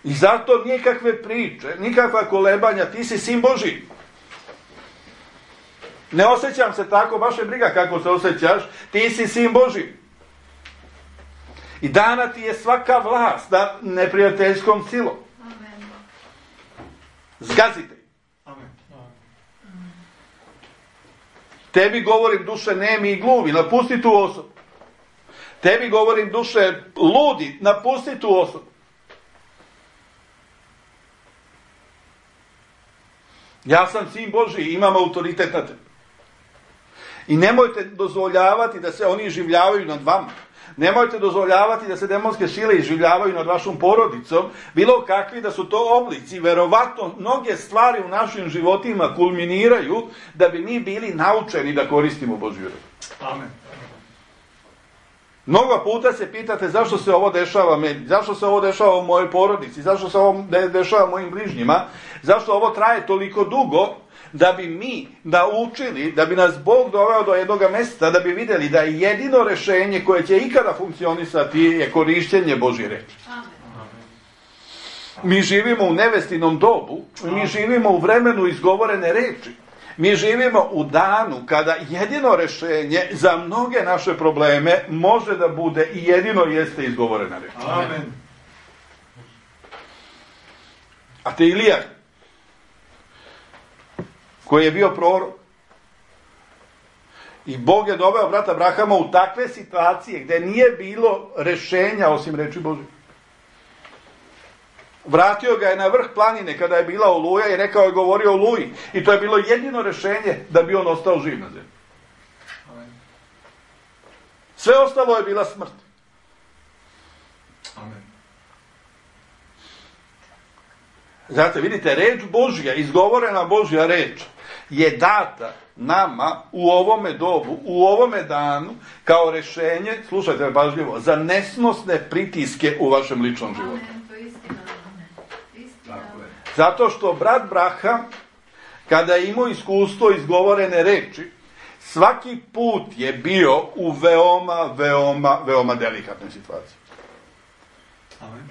I zato nikakve priče, nikakva kolebanja, ti si sin Božji. Ne osjećam se tako, baš je briga kako se osjećaš, ti si sin Božji. I dana ti je svaka vlast nad neprijateljskom silom. Amen. Zgazite. Amen. Tebi govorim, duše nemi i gluvi, napusti tu osobu. Tebi govorim, duše ludi, napusti tu osobu. Ja sam sin Božji, imam autoritet na tebi. I nemojte dozvoljavati da se oni življavaju nad vama. Nemojte dozvoljavati da se demonske sile izživljavaju nad vašom porodicom, bilo kakvi da su to oblici. Verovatno, mnoge stvari u našim životima kulminiraju da bi mi bili naučeni da koristimo Božju reč. Amen. Mnogo puta se pitate zašto se ovo dešava meni, zašto se ovo dešava u mojoj porodici, zašto se ovo dešava mojim bližnjima, zašto ovo traje toliko dugo, da bi mi naučili, da bi nas Bog doveo do jednog mjesta, da bi vidjeli da je jedino rješenje koje će ikada funkcionisati je korištenje Božje reči. Mi živimo u nevestinom dobu, mi živimo u vremenu izgovorene reči. Mi živimo u danu kada jedino rješenje za mnoge naše probleme može da bude i jedino jeste izgovorena reč. Amen. A te Ilija, koji je bio prorok, i Bog je doveo brata Abrahama u takve situacije gdje nije bilo rješenja osim reči Božje. Vratio ga je na vrh planine kada je bila oluja i rekao je, govorio o oluji. I to je bilo jedino rješenje da bi on ostao živ na zemlji. Sve ostalo je bila smrt. Amen. Znate, vidite, reč Božja, izgovorena Božja reč, je data nama u ovome dobu, u ovome danu, kao rješenje, slušajte me pažljivo, za nesnosne pritiske u vašem ličnom životu. Amen, to je istina. Istina. Zato što brat Braham, kada je imao iskustvo izgovorene reči, svaki put je bio u veoma, veoma, veoma delikatnoj situaciji. Amen.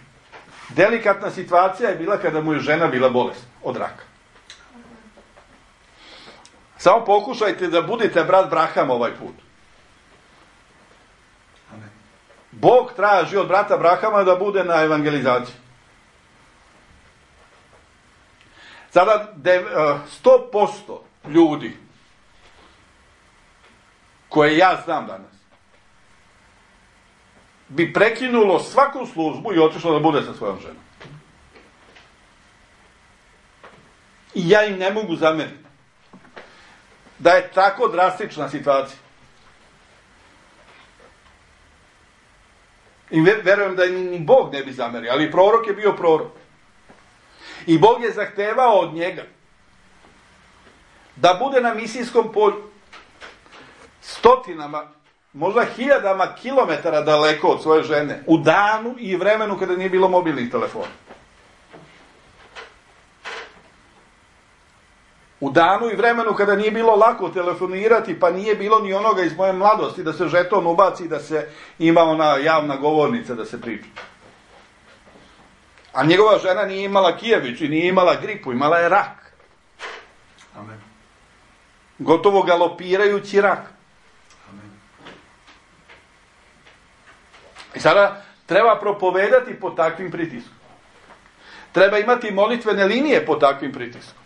Delikatna situacija je bila kada mu je žena bila bolesna od raka. Samo pokušajte da budete brat Braham ovaj put. Amen. Bog traži od brata Brahama da bude na evangelizaciji. Sada sto posto ljudi koje ja znam danas, bi prekinulo svaku službu i otišlo da bude sa svojom ženom. I ja im ne mogu zameriti da je tako drastična situacija. I verujem da ni Bog ne bi zamerio, ali prorok je bio prorok. I Bog je zahtevao od njega da bude na misijskom polju stotinama, možda hiljadama kilometara daleko od svoje žene, u danu i vremenu kada nije bilo mobilnih telefona. U danu i vremenu kada nije bilo lako telefonirati, pa nije bilo ni onoga iz moje mladosti da se žeton ubaci, da se ima ona javna govornica da se priča. A njegova žena nije imala kijević i nije imala gripu, imala je rak. Amen. Gotovo galopirajući rak. Amen. I sada treba propovedati pod takvim pritiskom. Treba imati molitvene linije pod takvim pritiskom.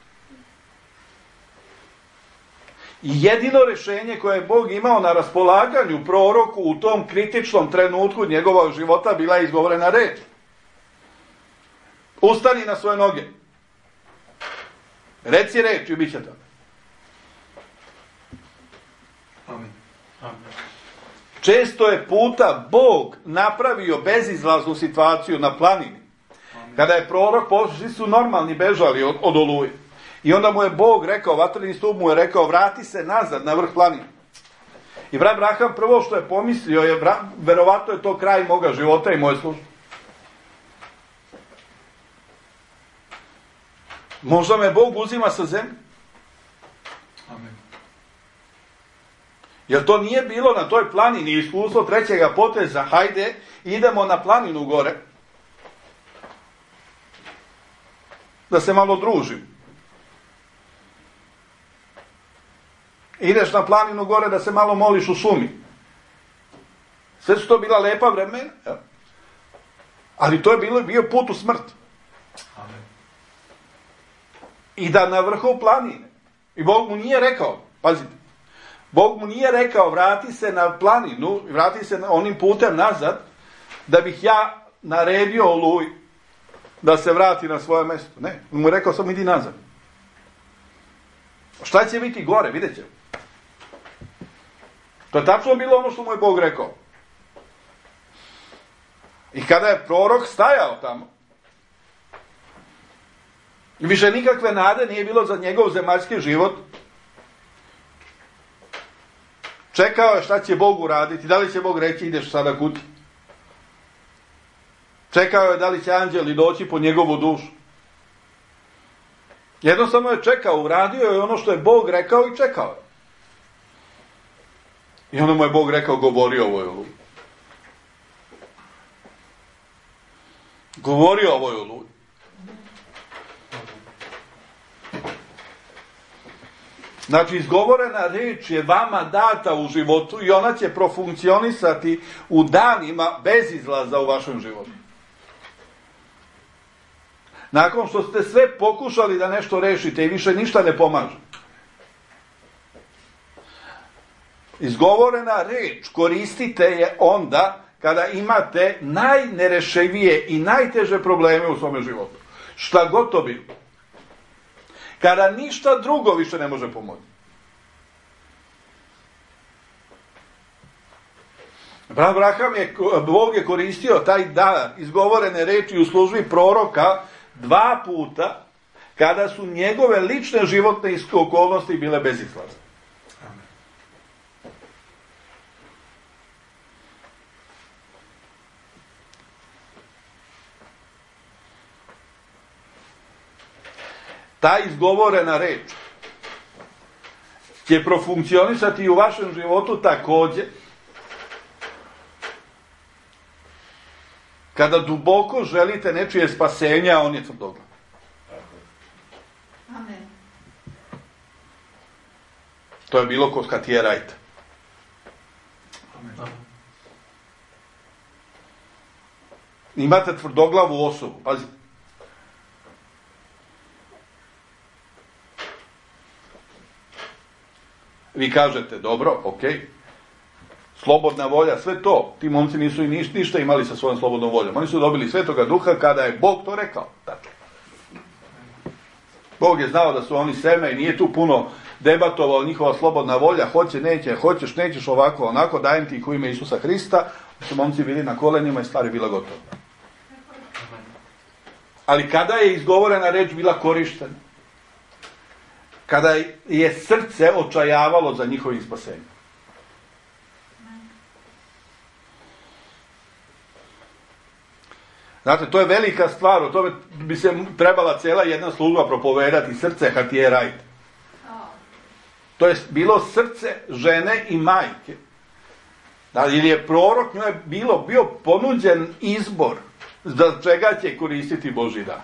I jedino rješenje koje je Bog imao na raspolaganju proroku u tom kritičnom trenutku njegovog života bila je izgovorena reč. Ustani na svoje noge. Reci reč i bit će tako. Amen. Amen. Često je puta Bog napravio bezizlaznu situaciju na planini. Amen. Kada je prorok, svi su normalni bežali od, od oluje. I onda mu je Bog rekao, vatreni stup mu je rekao, vrati se nazad na vrh planine. I brat Abraham prvo što je pomislio je, verovatno je to kraj moga života i moje službe. Možda me Bog uzima sa zemlje. Amen. Jer to nije bilo na toj planini iskustvo trećega poteza, hajde, idemo na planinu gore. Da se malo družim. Ideš na planinu gore da se malo moliš u šumi. Sve su to bila lepa vremena. Ja. Ali to je bilo, bio put u smrt. Amen. I da na vrhu planine. I Bog mu nije rekao, pazite, Bog mu nije rekao vrati se na planinu, vrati se onim putem nazad, da bih ja naredio Oluji da se vrati na svoje mjesto. Ne, on mu je rekao samo idi nazad. Šta će biti gore, vidjet ćemo. To je tačno bilo ono što mu je Bog rekao. I kada je prorok stajao tamo, više nikakve nade nije bilo za njegov zemaljski život, čekao je šta će Bog uraditi, da li će Bog reći ideš sada kući. Čekao je da li će anđeli doći po njegovu dušu. Jednostavno je čekao, uradio je ono što je Bog rekao i čekao je. I onda mu je Bog rekao, govori ovoj oluji. Govori ovoj oluji. Znači, izgovorena riječ je vama data u životu i ona će profunkcionisati u danima bez izlaza u vašem životu. Nakon što ste sve pokušali da nešto rešite i više ništa ne pomaže. Izgovorena riječ koristite je onda kada imate najnerešivije i najteže probleme u svome životu. Šta god to bilo. Kada ništa drugo više ne može pomoći. Abraham je, Bog je koristio taj dar izgovorene reči u službi proroka dva puta kada su njegove lične životne okolnosti bile bezizlazne. Ta izgovorena reč će profunkcionisati i u vašem životu također kada duboko želite nečije spasenje, a on je tvrdoglav. Amen. To je bilo kod Hatije Rajta. Amen. Imate tvrdoglavu osobu, pazite. Vi kažete, dobro, ok, slobodna volja, sve to. Ti momci nisu i niš, ništa imali sa svojom slobodnom voljom. Oni su dobili Svetoga Duha kada je Bog to rekao. Dakle, Bog je znao da su oni seme i nije tu puno debatovao njihova slobodna volja, hoće, neće, hoćeš, nećeš, ovako, onako, dajem ti ih u ime Isusa Hrista. Su momci bili na kolenima i stvar je bila gotova. Ali kada je izgovorena reč bila korištena? Kada je srce očajavalo za njihovim spasenjem. Znate, to je velika stvar, o tome bi se trebala cijela jedna služba propovedati, srce Hatije Wright. To je bilo srce žene i majke. Ili je prorok njoj bilo, bio ponuđen izbor za čega će koristiti Božji dar.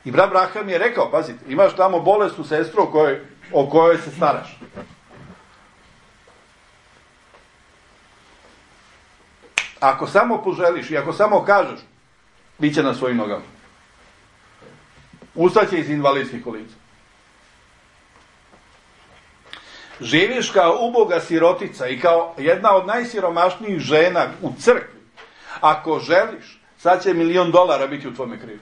I brat Braham je rekao, pazite, imaš tamo bolesnu sestru o kojoj, o kojoj se staraš. Ako samo poželiš i ako samo kažeš, bit će na svojim nogama. Ustaće iz invalidskih kolica. Živiš kao uboga sirotica i kao jedna od najsiromašnijih žena u crkvi. Ako želiš, sad će milion dolara biti u tvome krivu.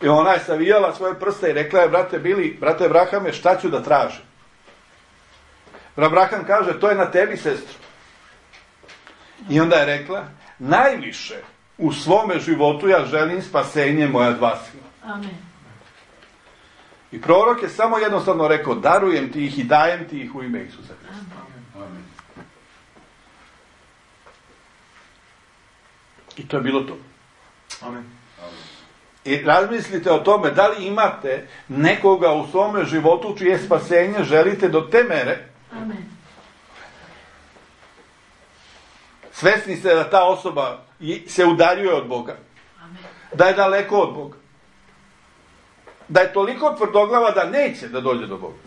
I ona je savijala svoje prste i rekla je, brate Bili, brate Brahame, šta ću da tražim? Brat Braham kaže, to je na tebi, sestro. I onda je rekla, najviše u svome životu ja želim spasenje moja dva sina. Amen. I prorok je samo jednostavno rekao, darujem ti ih i dajem ti ih u ime Isusa Hrista. Amen. I to je bilo to. Amen. I razmislite o tome, da li imate nekoga u svome životu čije spasenje želite do te mere. Amen. Svesni ste da ta osoba se udaljuje od Boga. Amen. Da je daleko od Boga. Da je toliko tvrdoglava da neće da dođe do Boga.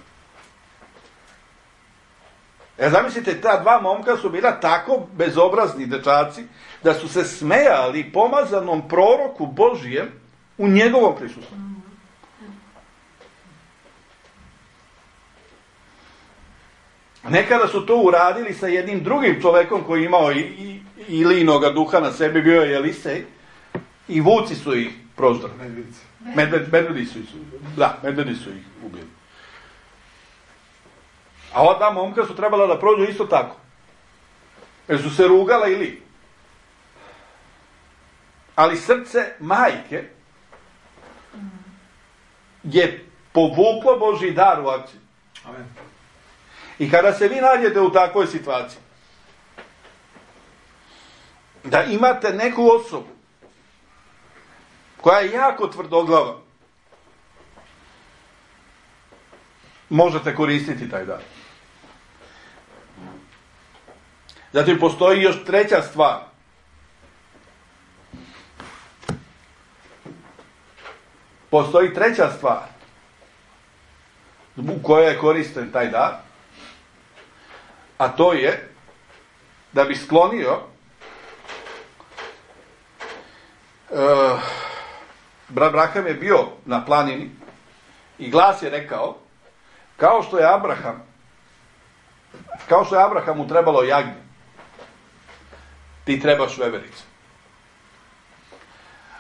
E, zamislite, ta dva momka su bila tako bezobrazni dečaci da su se smejali pomazanom proroku Božijem u njegovom prisustvu. Nekada su to uradili sa jednim drugim čovekom koji je imao i, i, Ilinoga duha na sebi, bio je Elisej, i vuci su ih proždali. Medvedi. Medvedi su ih, da, medvedi su ih ubili. A ova dva momka su trebala da prođu isto tako. Jer su se rugala ili. Ali srce majke je povuklo Božji dar u akciju. Amen. I kada se vi nađete u takvoj situaciji, da imate neku osobu koja je jako tvrdoglava, možete koristiti taj dar. Zatim postoji još treća stvar. Postoji treća stvar u kojoj je koristen taj dar, a to je da bi sklonio uh, brat Braham je bio na planini i glas je rekao, kao što je Abraham kao što je Abrahamu trebalo jagnje, ti trebaš veverice.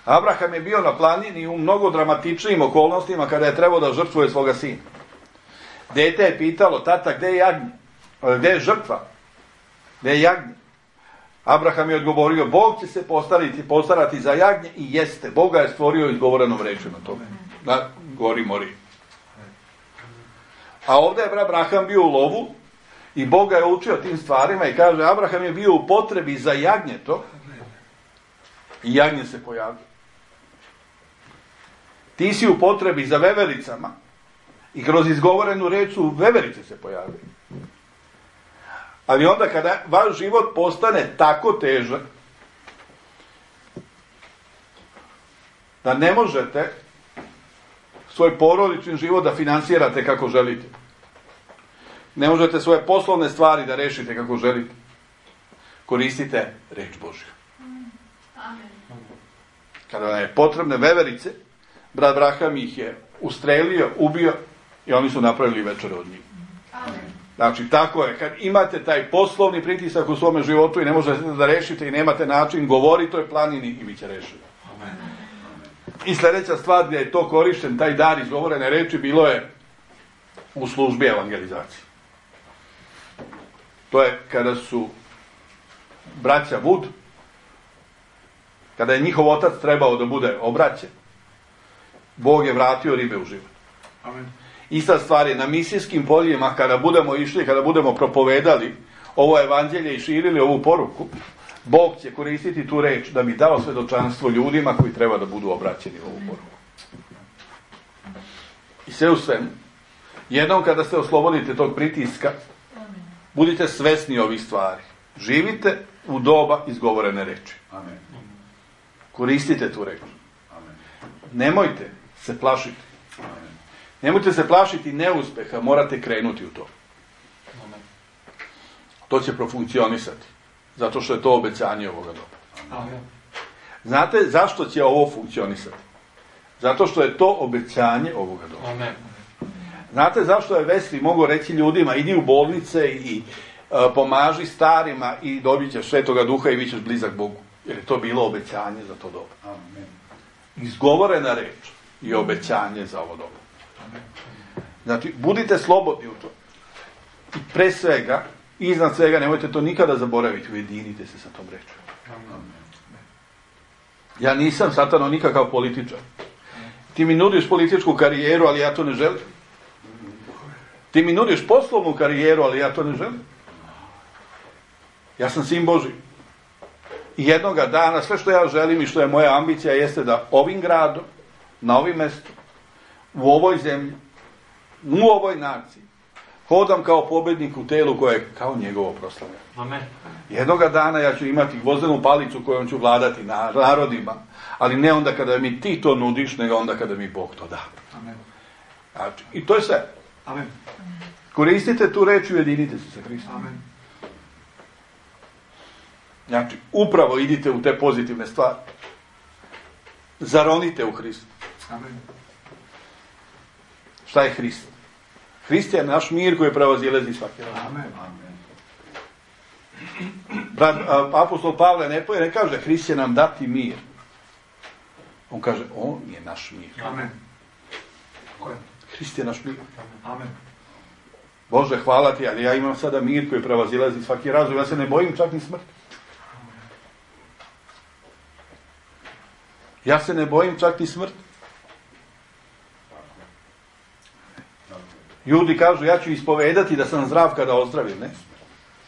Abraham je bio na planini u mnogo dramatičnijim okolnostima kada je trebao da žrtvuje svoga sina. Dete je pitalo, tata, gde je jagnje? Gde je žrtva? Gde je jagnje? Abraham je odgovorio, Bog će se postarati, postarati za jagnje i jeste. Boga je stvorio izgovorenom rečju na tome. Na gori mori. A ovdje je Abraham bio u lovu i Boga je učio tim stvarima i kaže, Abraham je bio u potrebi za jagnjeto i jagnje se pojavio. Ti si u potrebi za vevericama i kroz izgovorenu reč su veverice se pojavile. Ali onda kada vaš život postane tako težak da ne možete svoj porodični život da finansirate kako želite, ne možete svoje poslovne stvari da rešite kako želite, koristite reč Božju. Amen. Kada vam je potrebne veverice, brat Braham ih je ustrelio, ubio i oni su napravili večer od njih. Amen. Znači, tako je. Kad imate taj poslovni pritisak u svome životu i ne možete da rešite i nemate način, govorite o planini i bit će rešeno. Amen. I sljedeća stvar gdje je to korišten, taj dar izgovorene reči, bilo je u službi evangelizacije. To je kada su braća Wood, kada je njihov otac trebao da bude obraćen, Bog je vratio ribe u život. Amen. Ista stvar je na misijskim poljima, kada budemo išli, kada budemo propovedali ovo evanđelje i širili ovu poruku, Bog će koristiti tu reč da bi dao svedočanstvo ljudima koji treba da budu obraćeni u ovu poruku. I sve u svemu, jednom kada se oslobodite tog pritiska, budite svesni ovih stvari. Živite u doba izgovorene reči. Amen. Koristite tu reč. Amen. Nemojte se plašiti. Amen. Nemojte se plašiti neuspeha, morate krenuti u to. Amen. To će profunkcionisati. Zato što je to obećanje ovoga doba. Amen. Znate zašto će ovo funkcionisati? Zato što je to obećanje ovoga doba. Amen. Znate zašto je Wesley mogao reći ljudima, idi u bolnice i uh, pomaži starima i dobit ćeš Svetoga Duha i bit ćeš blizak Bogu. Jer je to bilo obećanje za to doba. Amen. Izgovorena reč i obećanje za ovo doba. Znači, budite slobodni u to. I pre svega, iznad svega, nemojte to nikada zaboraviti, ujedinite se sa tom rečom. Amen. Ja nisam, Satano, nikakav političar. Ti mi nudiš političku karijeru, ali ja to ne želim. Ti mi nudiš poslovnu karijeru, ali ja to ne želim. Ja sam sin Božji. I jednoga dana, sve što ja želim i što je moja ambicija jeste da ovim gradom, na ovim mjestu, u ovoj zemlji, u ovoj naciji, hodam kao pobjednik u telu koje je kao njegovo proslavljanje. Amen. Jednoga dana ja ću imati gvozdenu palicu kojom ću vladati narodima, ali ne onda kada mi ti to nudiš, nego onda kada mi Bog to da. Amen. Znači, i to je sve. Amen. Koristite tu reč i ujedinite se sa Hristom. Amen. Znači, upravo idite u te pozitivne stvari. Zaronite u Hristu. Amen. Šta je Hrist? Hrist je naš mir koji prevazilazi svaki razum. Amen. Amen. Brat, apostol Pavle ne, ne kaže Hrist će nam dati mir. On kaže, on je naš mir. Amen. Hrist je naš mir. Amen. Bože, hvala ti, ali ja imam sada mir koji prevazilazi svaki razum. Ja se ne bojim čak ni smrti. Ja se ne bojim čak ni smrti. Ljudi kažu, ja ću ispovedati da sam zdrav kada ozdravim. Ne?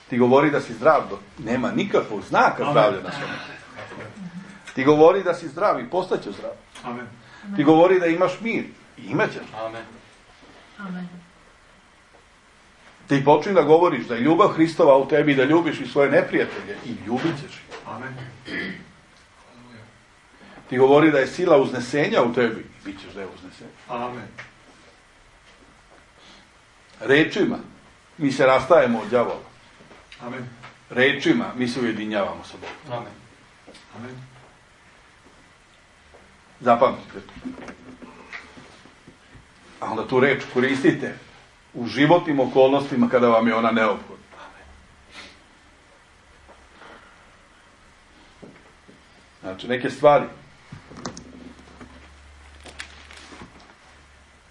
Ti govori da si zdrav, nema nikakvog znaka zdravlja na svome. Ti govori da si zdrav i postaće zdrav. Amen. Ti govori da imaš mir i imat ćeš. Amen. Amen. Ti počni da govoriš da je ljubav Hristova u tebi, da ljubiš i svoje neprijatelje i ljubit ćeš ih. Amen. Ti govori da je sila uznesenja u tebi i bit ćeš da je uznesenja. Amen. Rečima mi se rastajemo od đavola. Amen. Rečima mi se ujedinjavamo sa Bogom. Amen. Amen. Zapamtite to. A onda tu reč koristite u životnim okolnostima kada vam je ona neophodna. Znači, neke stvari.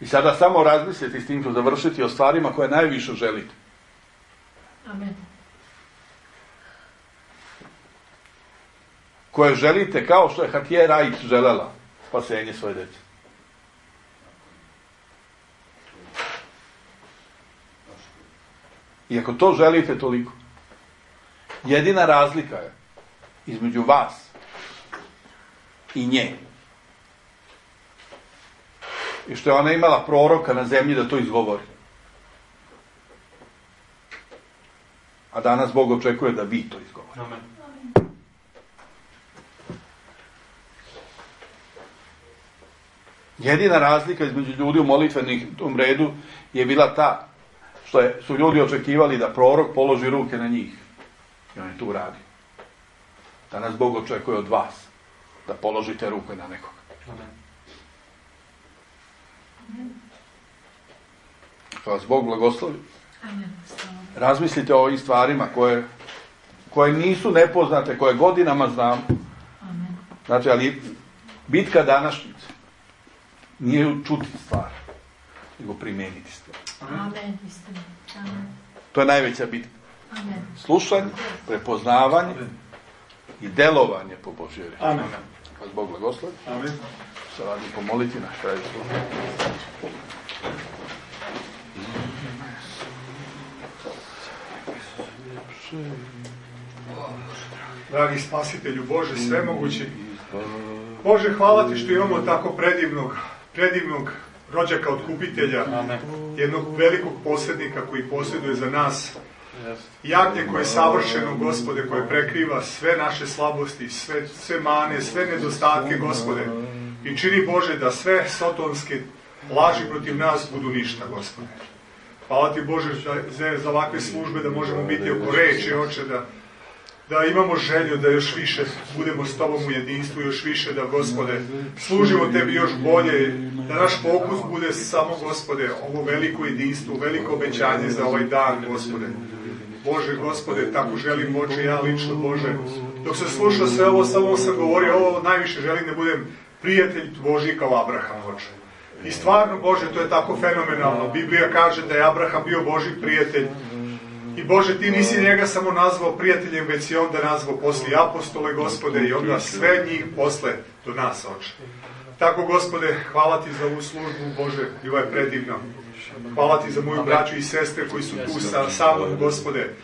I sada samo razmislite s tim ću završiti o stvarima koje najviše želite. Amen. Koje želite kao što je Hatije Rajić želela spasenje svoje djece. I ako to želite toliko, jedina razlika je između vas i nje i što je ona imala proroka na zemlji da to izgovori. A danas Bog očekuje da vi to izgovorite. Amen. Jedina razlika između ljudi u molitvenom redu je bila ta što je, su ljudi očekivali da prorok položi ruke na njih. I on je tu radio. Danas Bog očekuje od vas da položite ruke na nekoga. Amen. Što vas Bog blagoslovi. Amen. Razmislite o ovim stvarima koje, koje nisu nepoznate, koje godinama znam. Amen. Znači, ali bitka današnjice nije čuti stvar, nego primijeniti stvar. Amen. Istina. Amen. To je najveća bitka. Amen. Slušanje, prepoznavanje i delovanje po Božjoj reči. Amen. Vas Bog blagoslovi. Amen. Se radi pomoliti na kraju službe. Dragi Spasitelju Bože, svemogući, Bože, hvala Ti što imamo tako predivnog, predivnog rođaka otkupitelja, jednog velikog posrednika koji posjeduje za nas, jagnje koje je savršeno, Gospode, koje prekriva sve naše slabosti, sve, sve mane, sve nedostatke, Gospode, i čini, Bože, da sve sotonske laži protiv nas budu ništa, Gospode. Hvala Ti, Bože, za, za ovakve službe, da možemo biti oko reči, Oče, da, da imamo želju da još više budemo s Tobom u jedinstvu, još više da, Gospode, služimo Tebi još bolje, da naš fokus bude samo, Gospode, ovo veliko jedinstvo, veliko obećanje za ovaj dan, Gospode. Bože, Gospode, tako želim, Oče, ja lično, Bože, dok sam slušao sve ovo, samo sam govorio, ovo najviše želim da budem prijatelj Božji kao Abraham, Oče. I stvarno, Bože, to je tako fenomenalno. Biblija kaže da je Abraham bio Božji prijatelj. I Bože, Ti nisi njega samo nazvao prijateljem, već si onda nazvao posle apostole, Gospode, i onda sve njih posle do nas, Oče. Tako, Gospode, hvala Ti za ovu službu, Bože, bila je predivna. Hvala Ti za moju braću i sestre koji su tu sa, sa mnom, Gospode.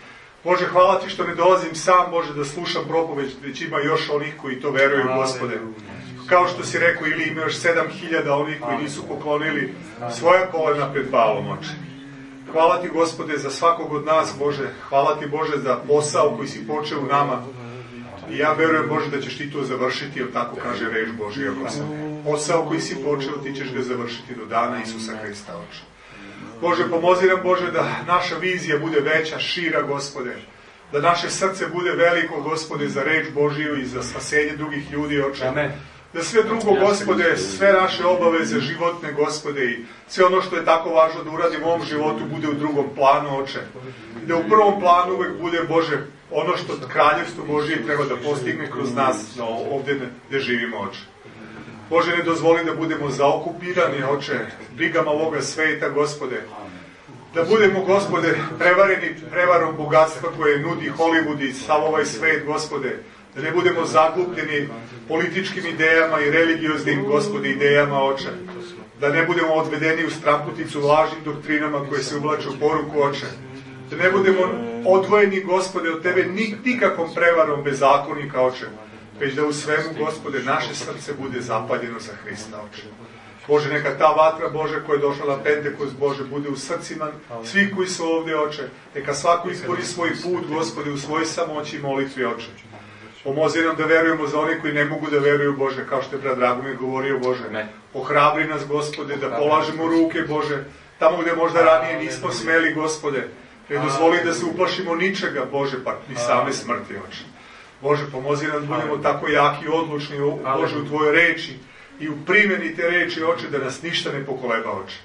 Bože, hvala Ti što ne dolazim sam, Bože, da slušam propoveć, već ima još onih koji to veruju, Gospode. Kao što si rekao, ili ima još sedam hiljada onih koji nisu poklonili svoja kolena pred Balom, Oče. Hvala Ti, Gospode, za svakog od nas, Bože. Hvala Ti, Bože, za posao koji si počeo u nama. I ja verujem, Bože, da ćeš Ti to završiti, jer tako kaže reč Božja, Gospode. Posao koji si počeo, Ti ćeš ga završiti do dana Isusa Hrista, Oče. Bože, pomozi nam, Bože, da naša vizija bude veća, šira, Gospode. Da naše srce bude veliko, Gospode, za reč Božiju i za spasenje drugih ljudi, Oče. Amen. Da sve drugo, Gospode, sve naše obaveze životne, Gospode, i sve ono što je tako važno da uradimo u ovom životu bude u drugom planu, Oče. Da u prvom planu uvek bude, Bože, ono što kraljevstvo Božije treba da postigne kroz nas, no, ovdje gde živimo, Oče. Bože, ne dozvoli da budemo zaokupirani, Oče, brigama ovoga sveta, Gospode. Da budemo, Gospode, prevareni prevarom bogatstva koje nudi Hollywood i sav ovaj svet, Gospode. Da ne budemo zaglupljeni političkim idejama i religioznim, Gospode, idejama, Oče. Da ne budemo odvedeni u stramputicu lažnim doktrinama koje se uvlače u poruku, Oče. Da ne budemo odvojeni, Gospode, od Tebe nikakvom prevarom bezakonika, Oče. Već da u svemu, Gospode, naše srce bude zapaljeno za Hrista, Oče. Bože, neka ta vatra, Bože, koja je došla na Pentekost, Bože, bude u srcima svih koji su ovdje, Oče. Neka svako izbori svoj put, Gospode, u svoj samoći i molitvi, Oče. Pomozi nam da verujemo za one koji ne mogu da veruju, Bože, kao što je brat Dragomir govorio, Bože. Ohrabri nas, Gospode, da polažemo ruke, Bože, tamo gde možda ranije nismo smeli, Gospode. Ne dozvoli da se uplašimo ničega, Bože, pa ni same smrti, Oče. Bože, pomozi nam da budemo tako jaki i odlučni, Bože, u Tvojoj reči i u primjeni te reči, Oče, da nas ništa ne pokoleba, Oče.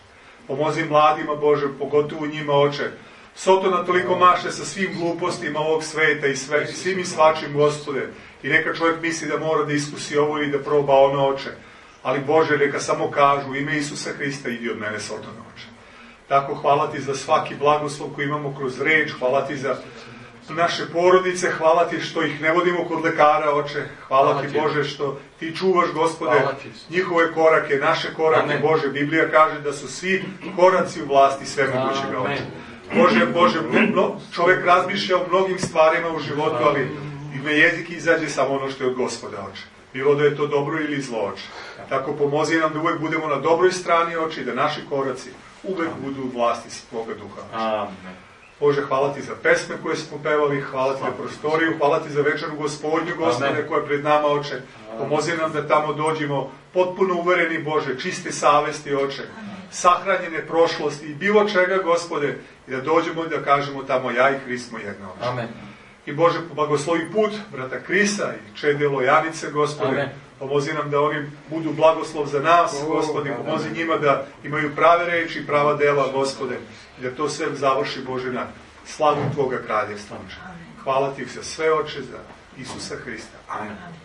Pomozi mladima, Bože, pogotovo njima, Oče. Sotona toliko maše sa svim glupostima ovog sveta i sve, svim i svačim, Gospode. I neka čovjek misli da mora da iskusi ovo i da proba ono, Oče. Ali, Bože, neka samo kažu, u ime Isusa Hrista, idi od mene, Sotona, Oče. Tako, hvala Ti za svaki blagoslov koji imamo kroz reč, hvala Ti za naše porodice, hvala Ti što ih ne vodimo kod lekara, Oče. Hvala, hvala Ti, Bože, što Ti čuvaš, Gospode, njihove korake, naše korake, Amen. Bože. Biblija kaže da su svi koraci u vlasti svemogućega, Oče. Bože, Bože, čovjek razmišlja o mnogim stvarima u životu, ali na jezik izađe samo ono što je od Gospoda, Oče. Bilo da je to dobro ili zlo, Oče. Tako pomozi nam da uvek budemo na dobroj strani, Oče, i da naši koraci uvek budu u vlasti svoga duha, Oče. Bože, hvala Ti za pesme koje smo pevali, hvala Ti za prostoriju, hvala Ti za večeru Gospodnju, Gospode, koja je pred nama, Oče. Pomozi nam da tamo dođemo potpuno uvereni, Bože, čiste savesti, Oče, sahranjene prošlosti i bilo čega, Gospode, i da dođemo i da kažemo tamo ja i Hrist smo jedno, Oče. Amen. I Bože, blagoslovi put brata Krisa i čedelo Janice, Gospode. Amen. Pomozi nam da oni budu blagoslov za nas, Gospode. Pomozi njima da imaju prave reči i prava dela, Gospode. I da to sve završi, Bože, na slavu Tvoga kraljevstva. Hvala Ti za sve, Oče, za Isusa Hrista. Amen.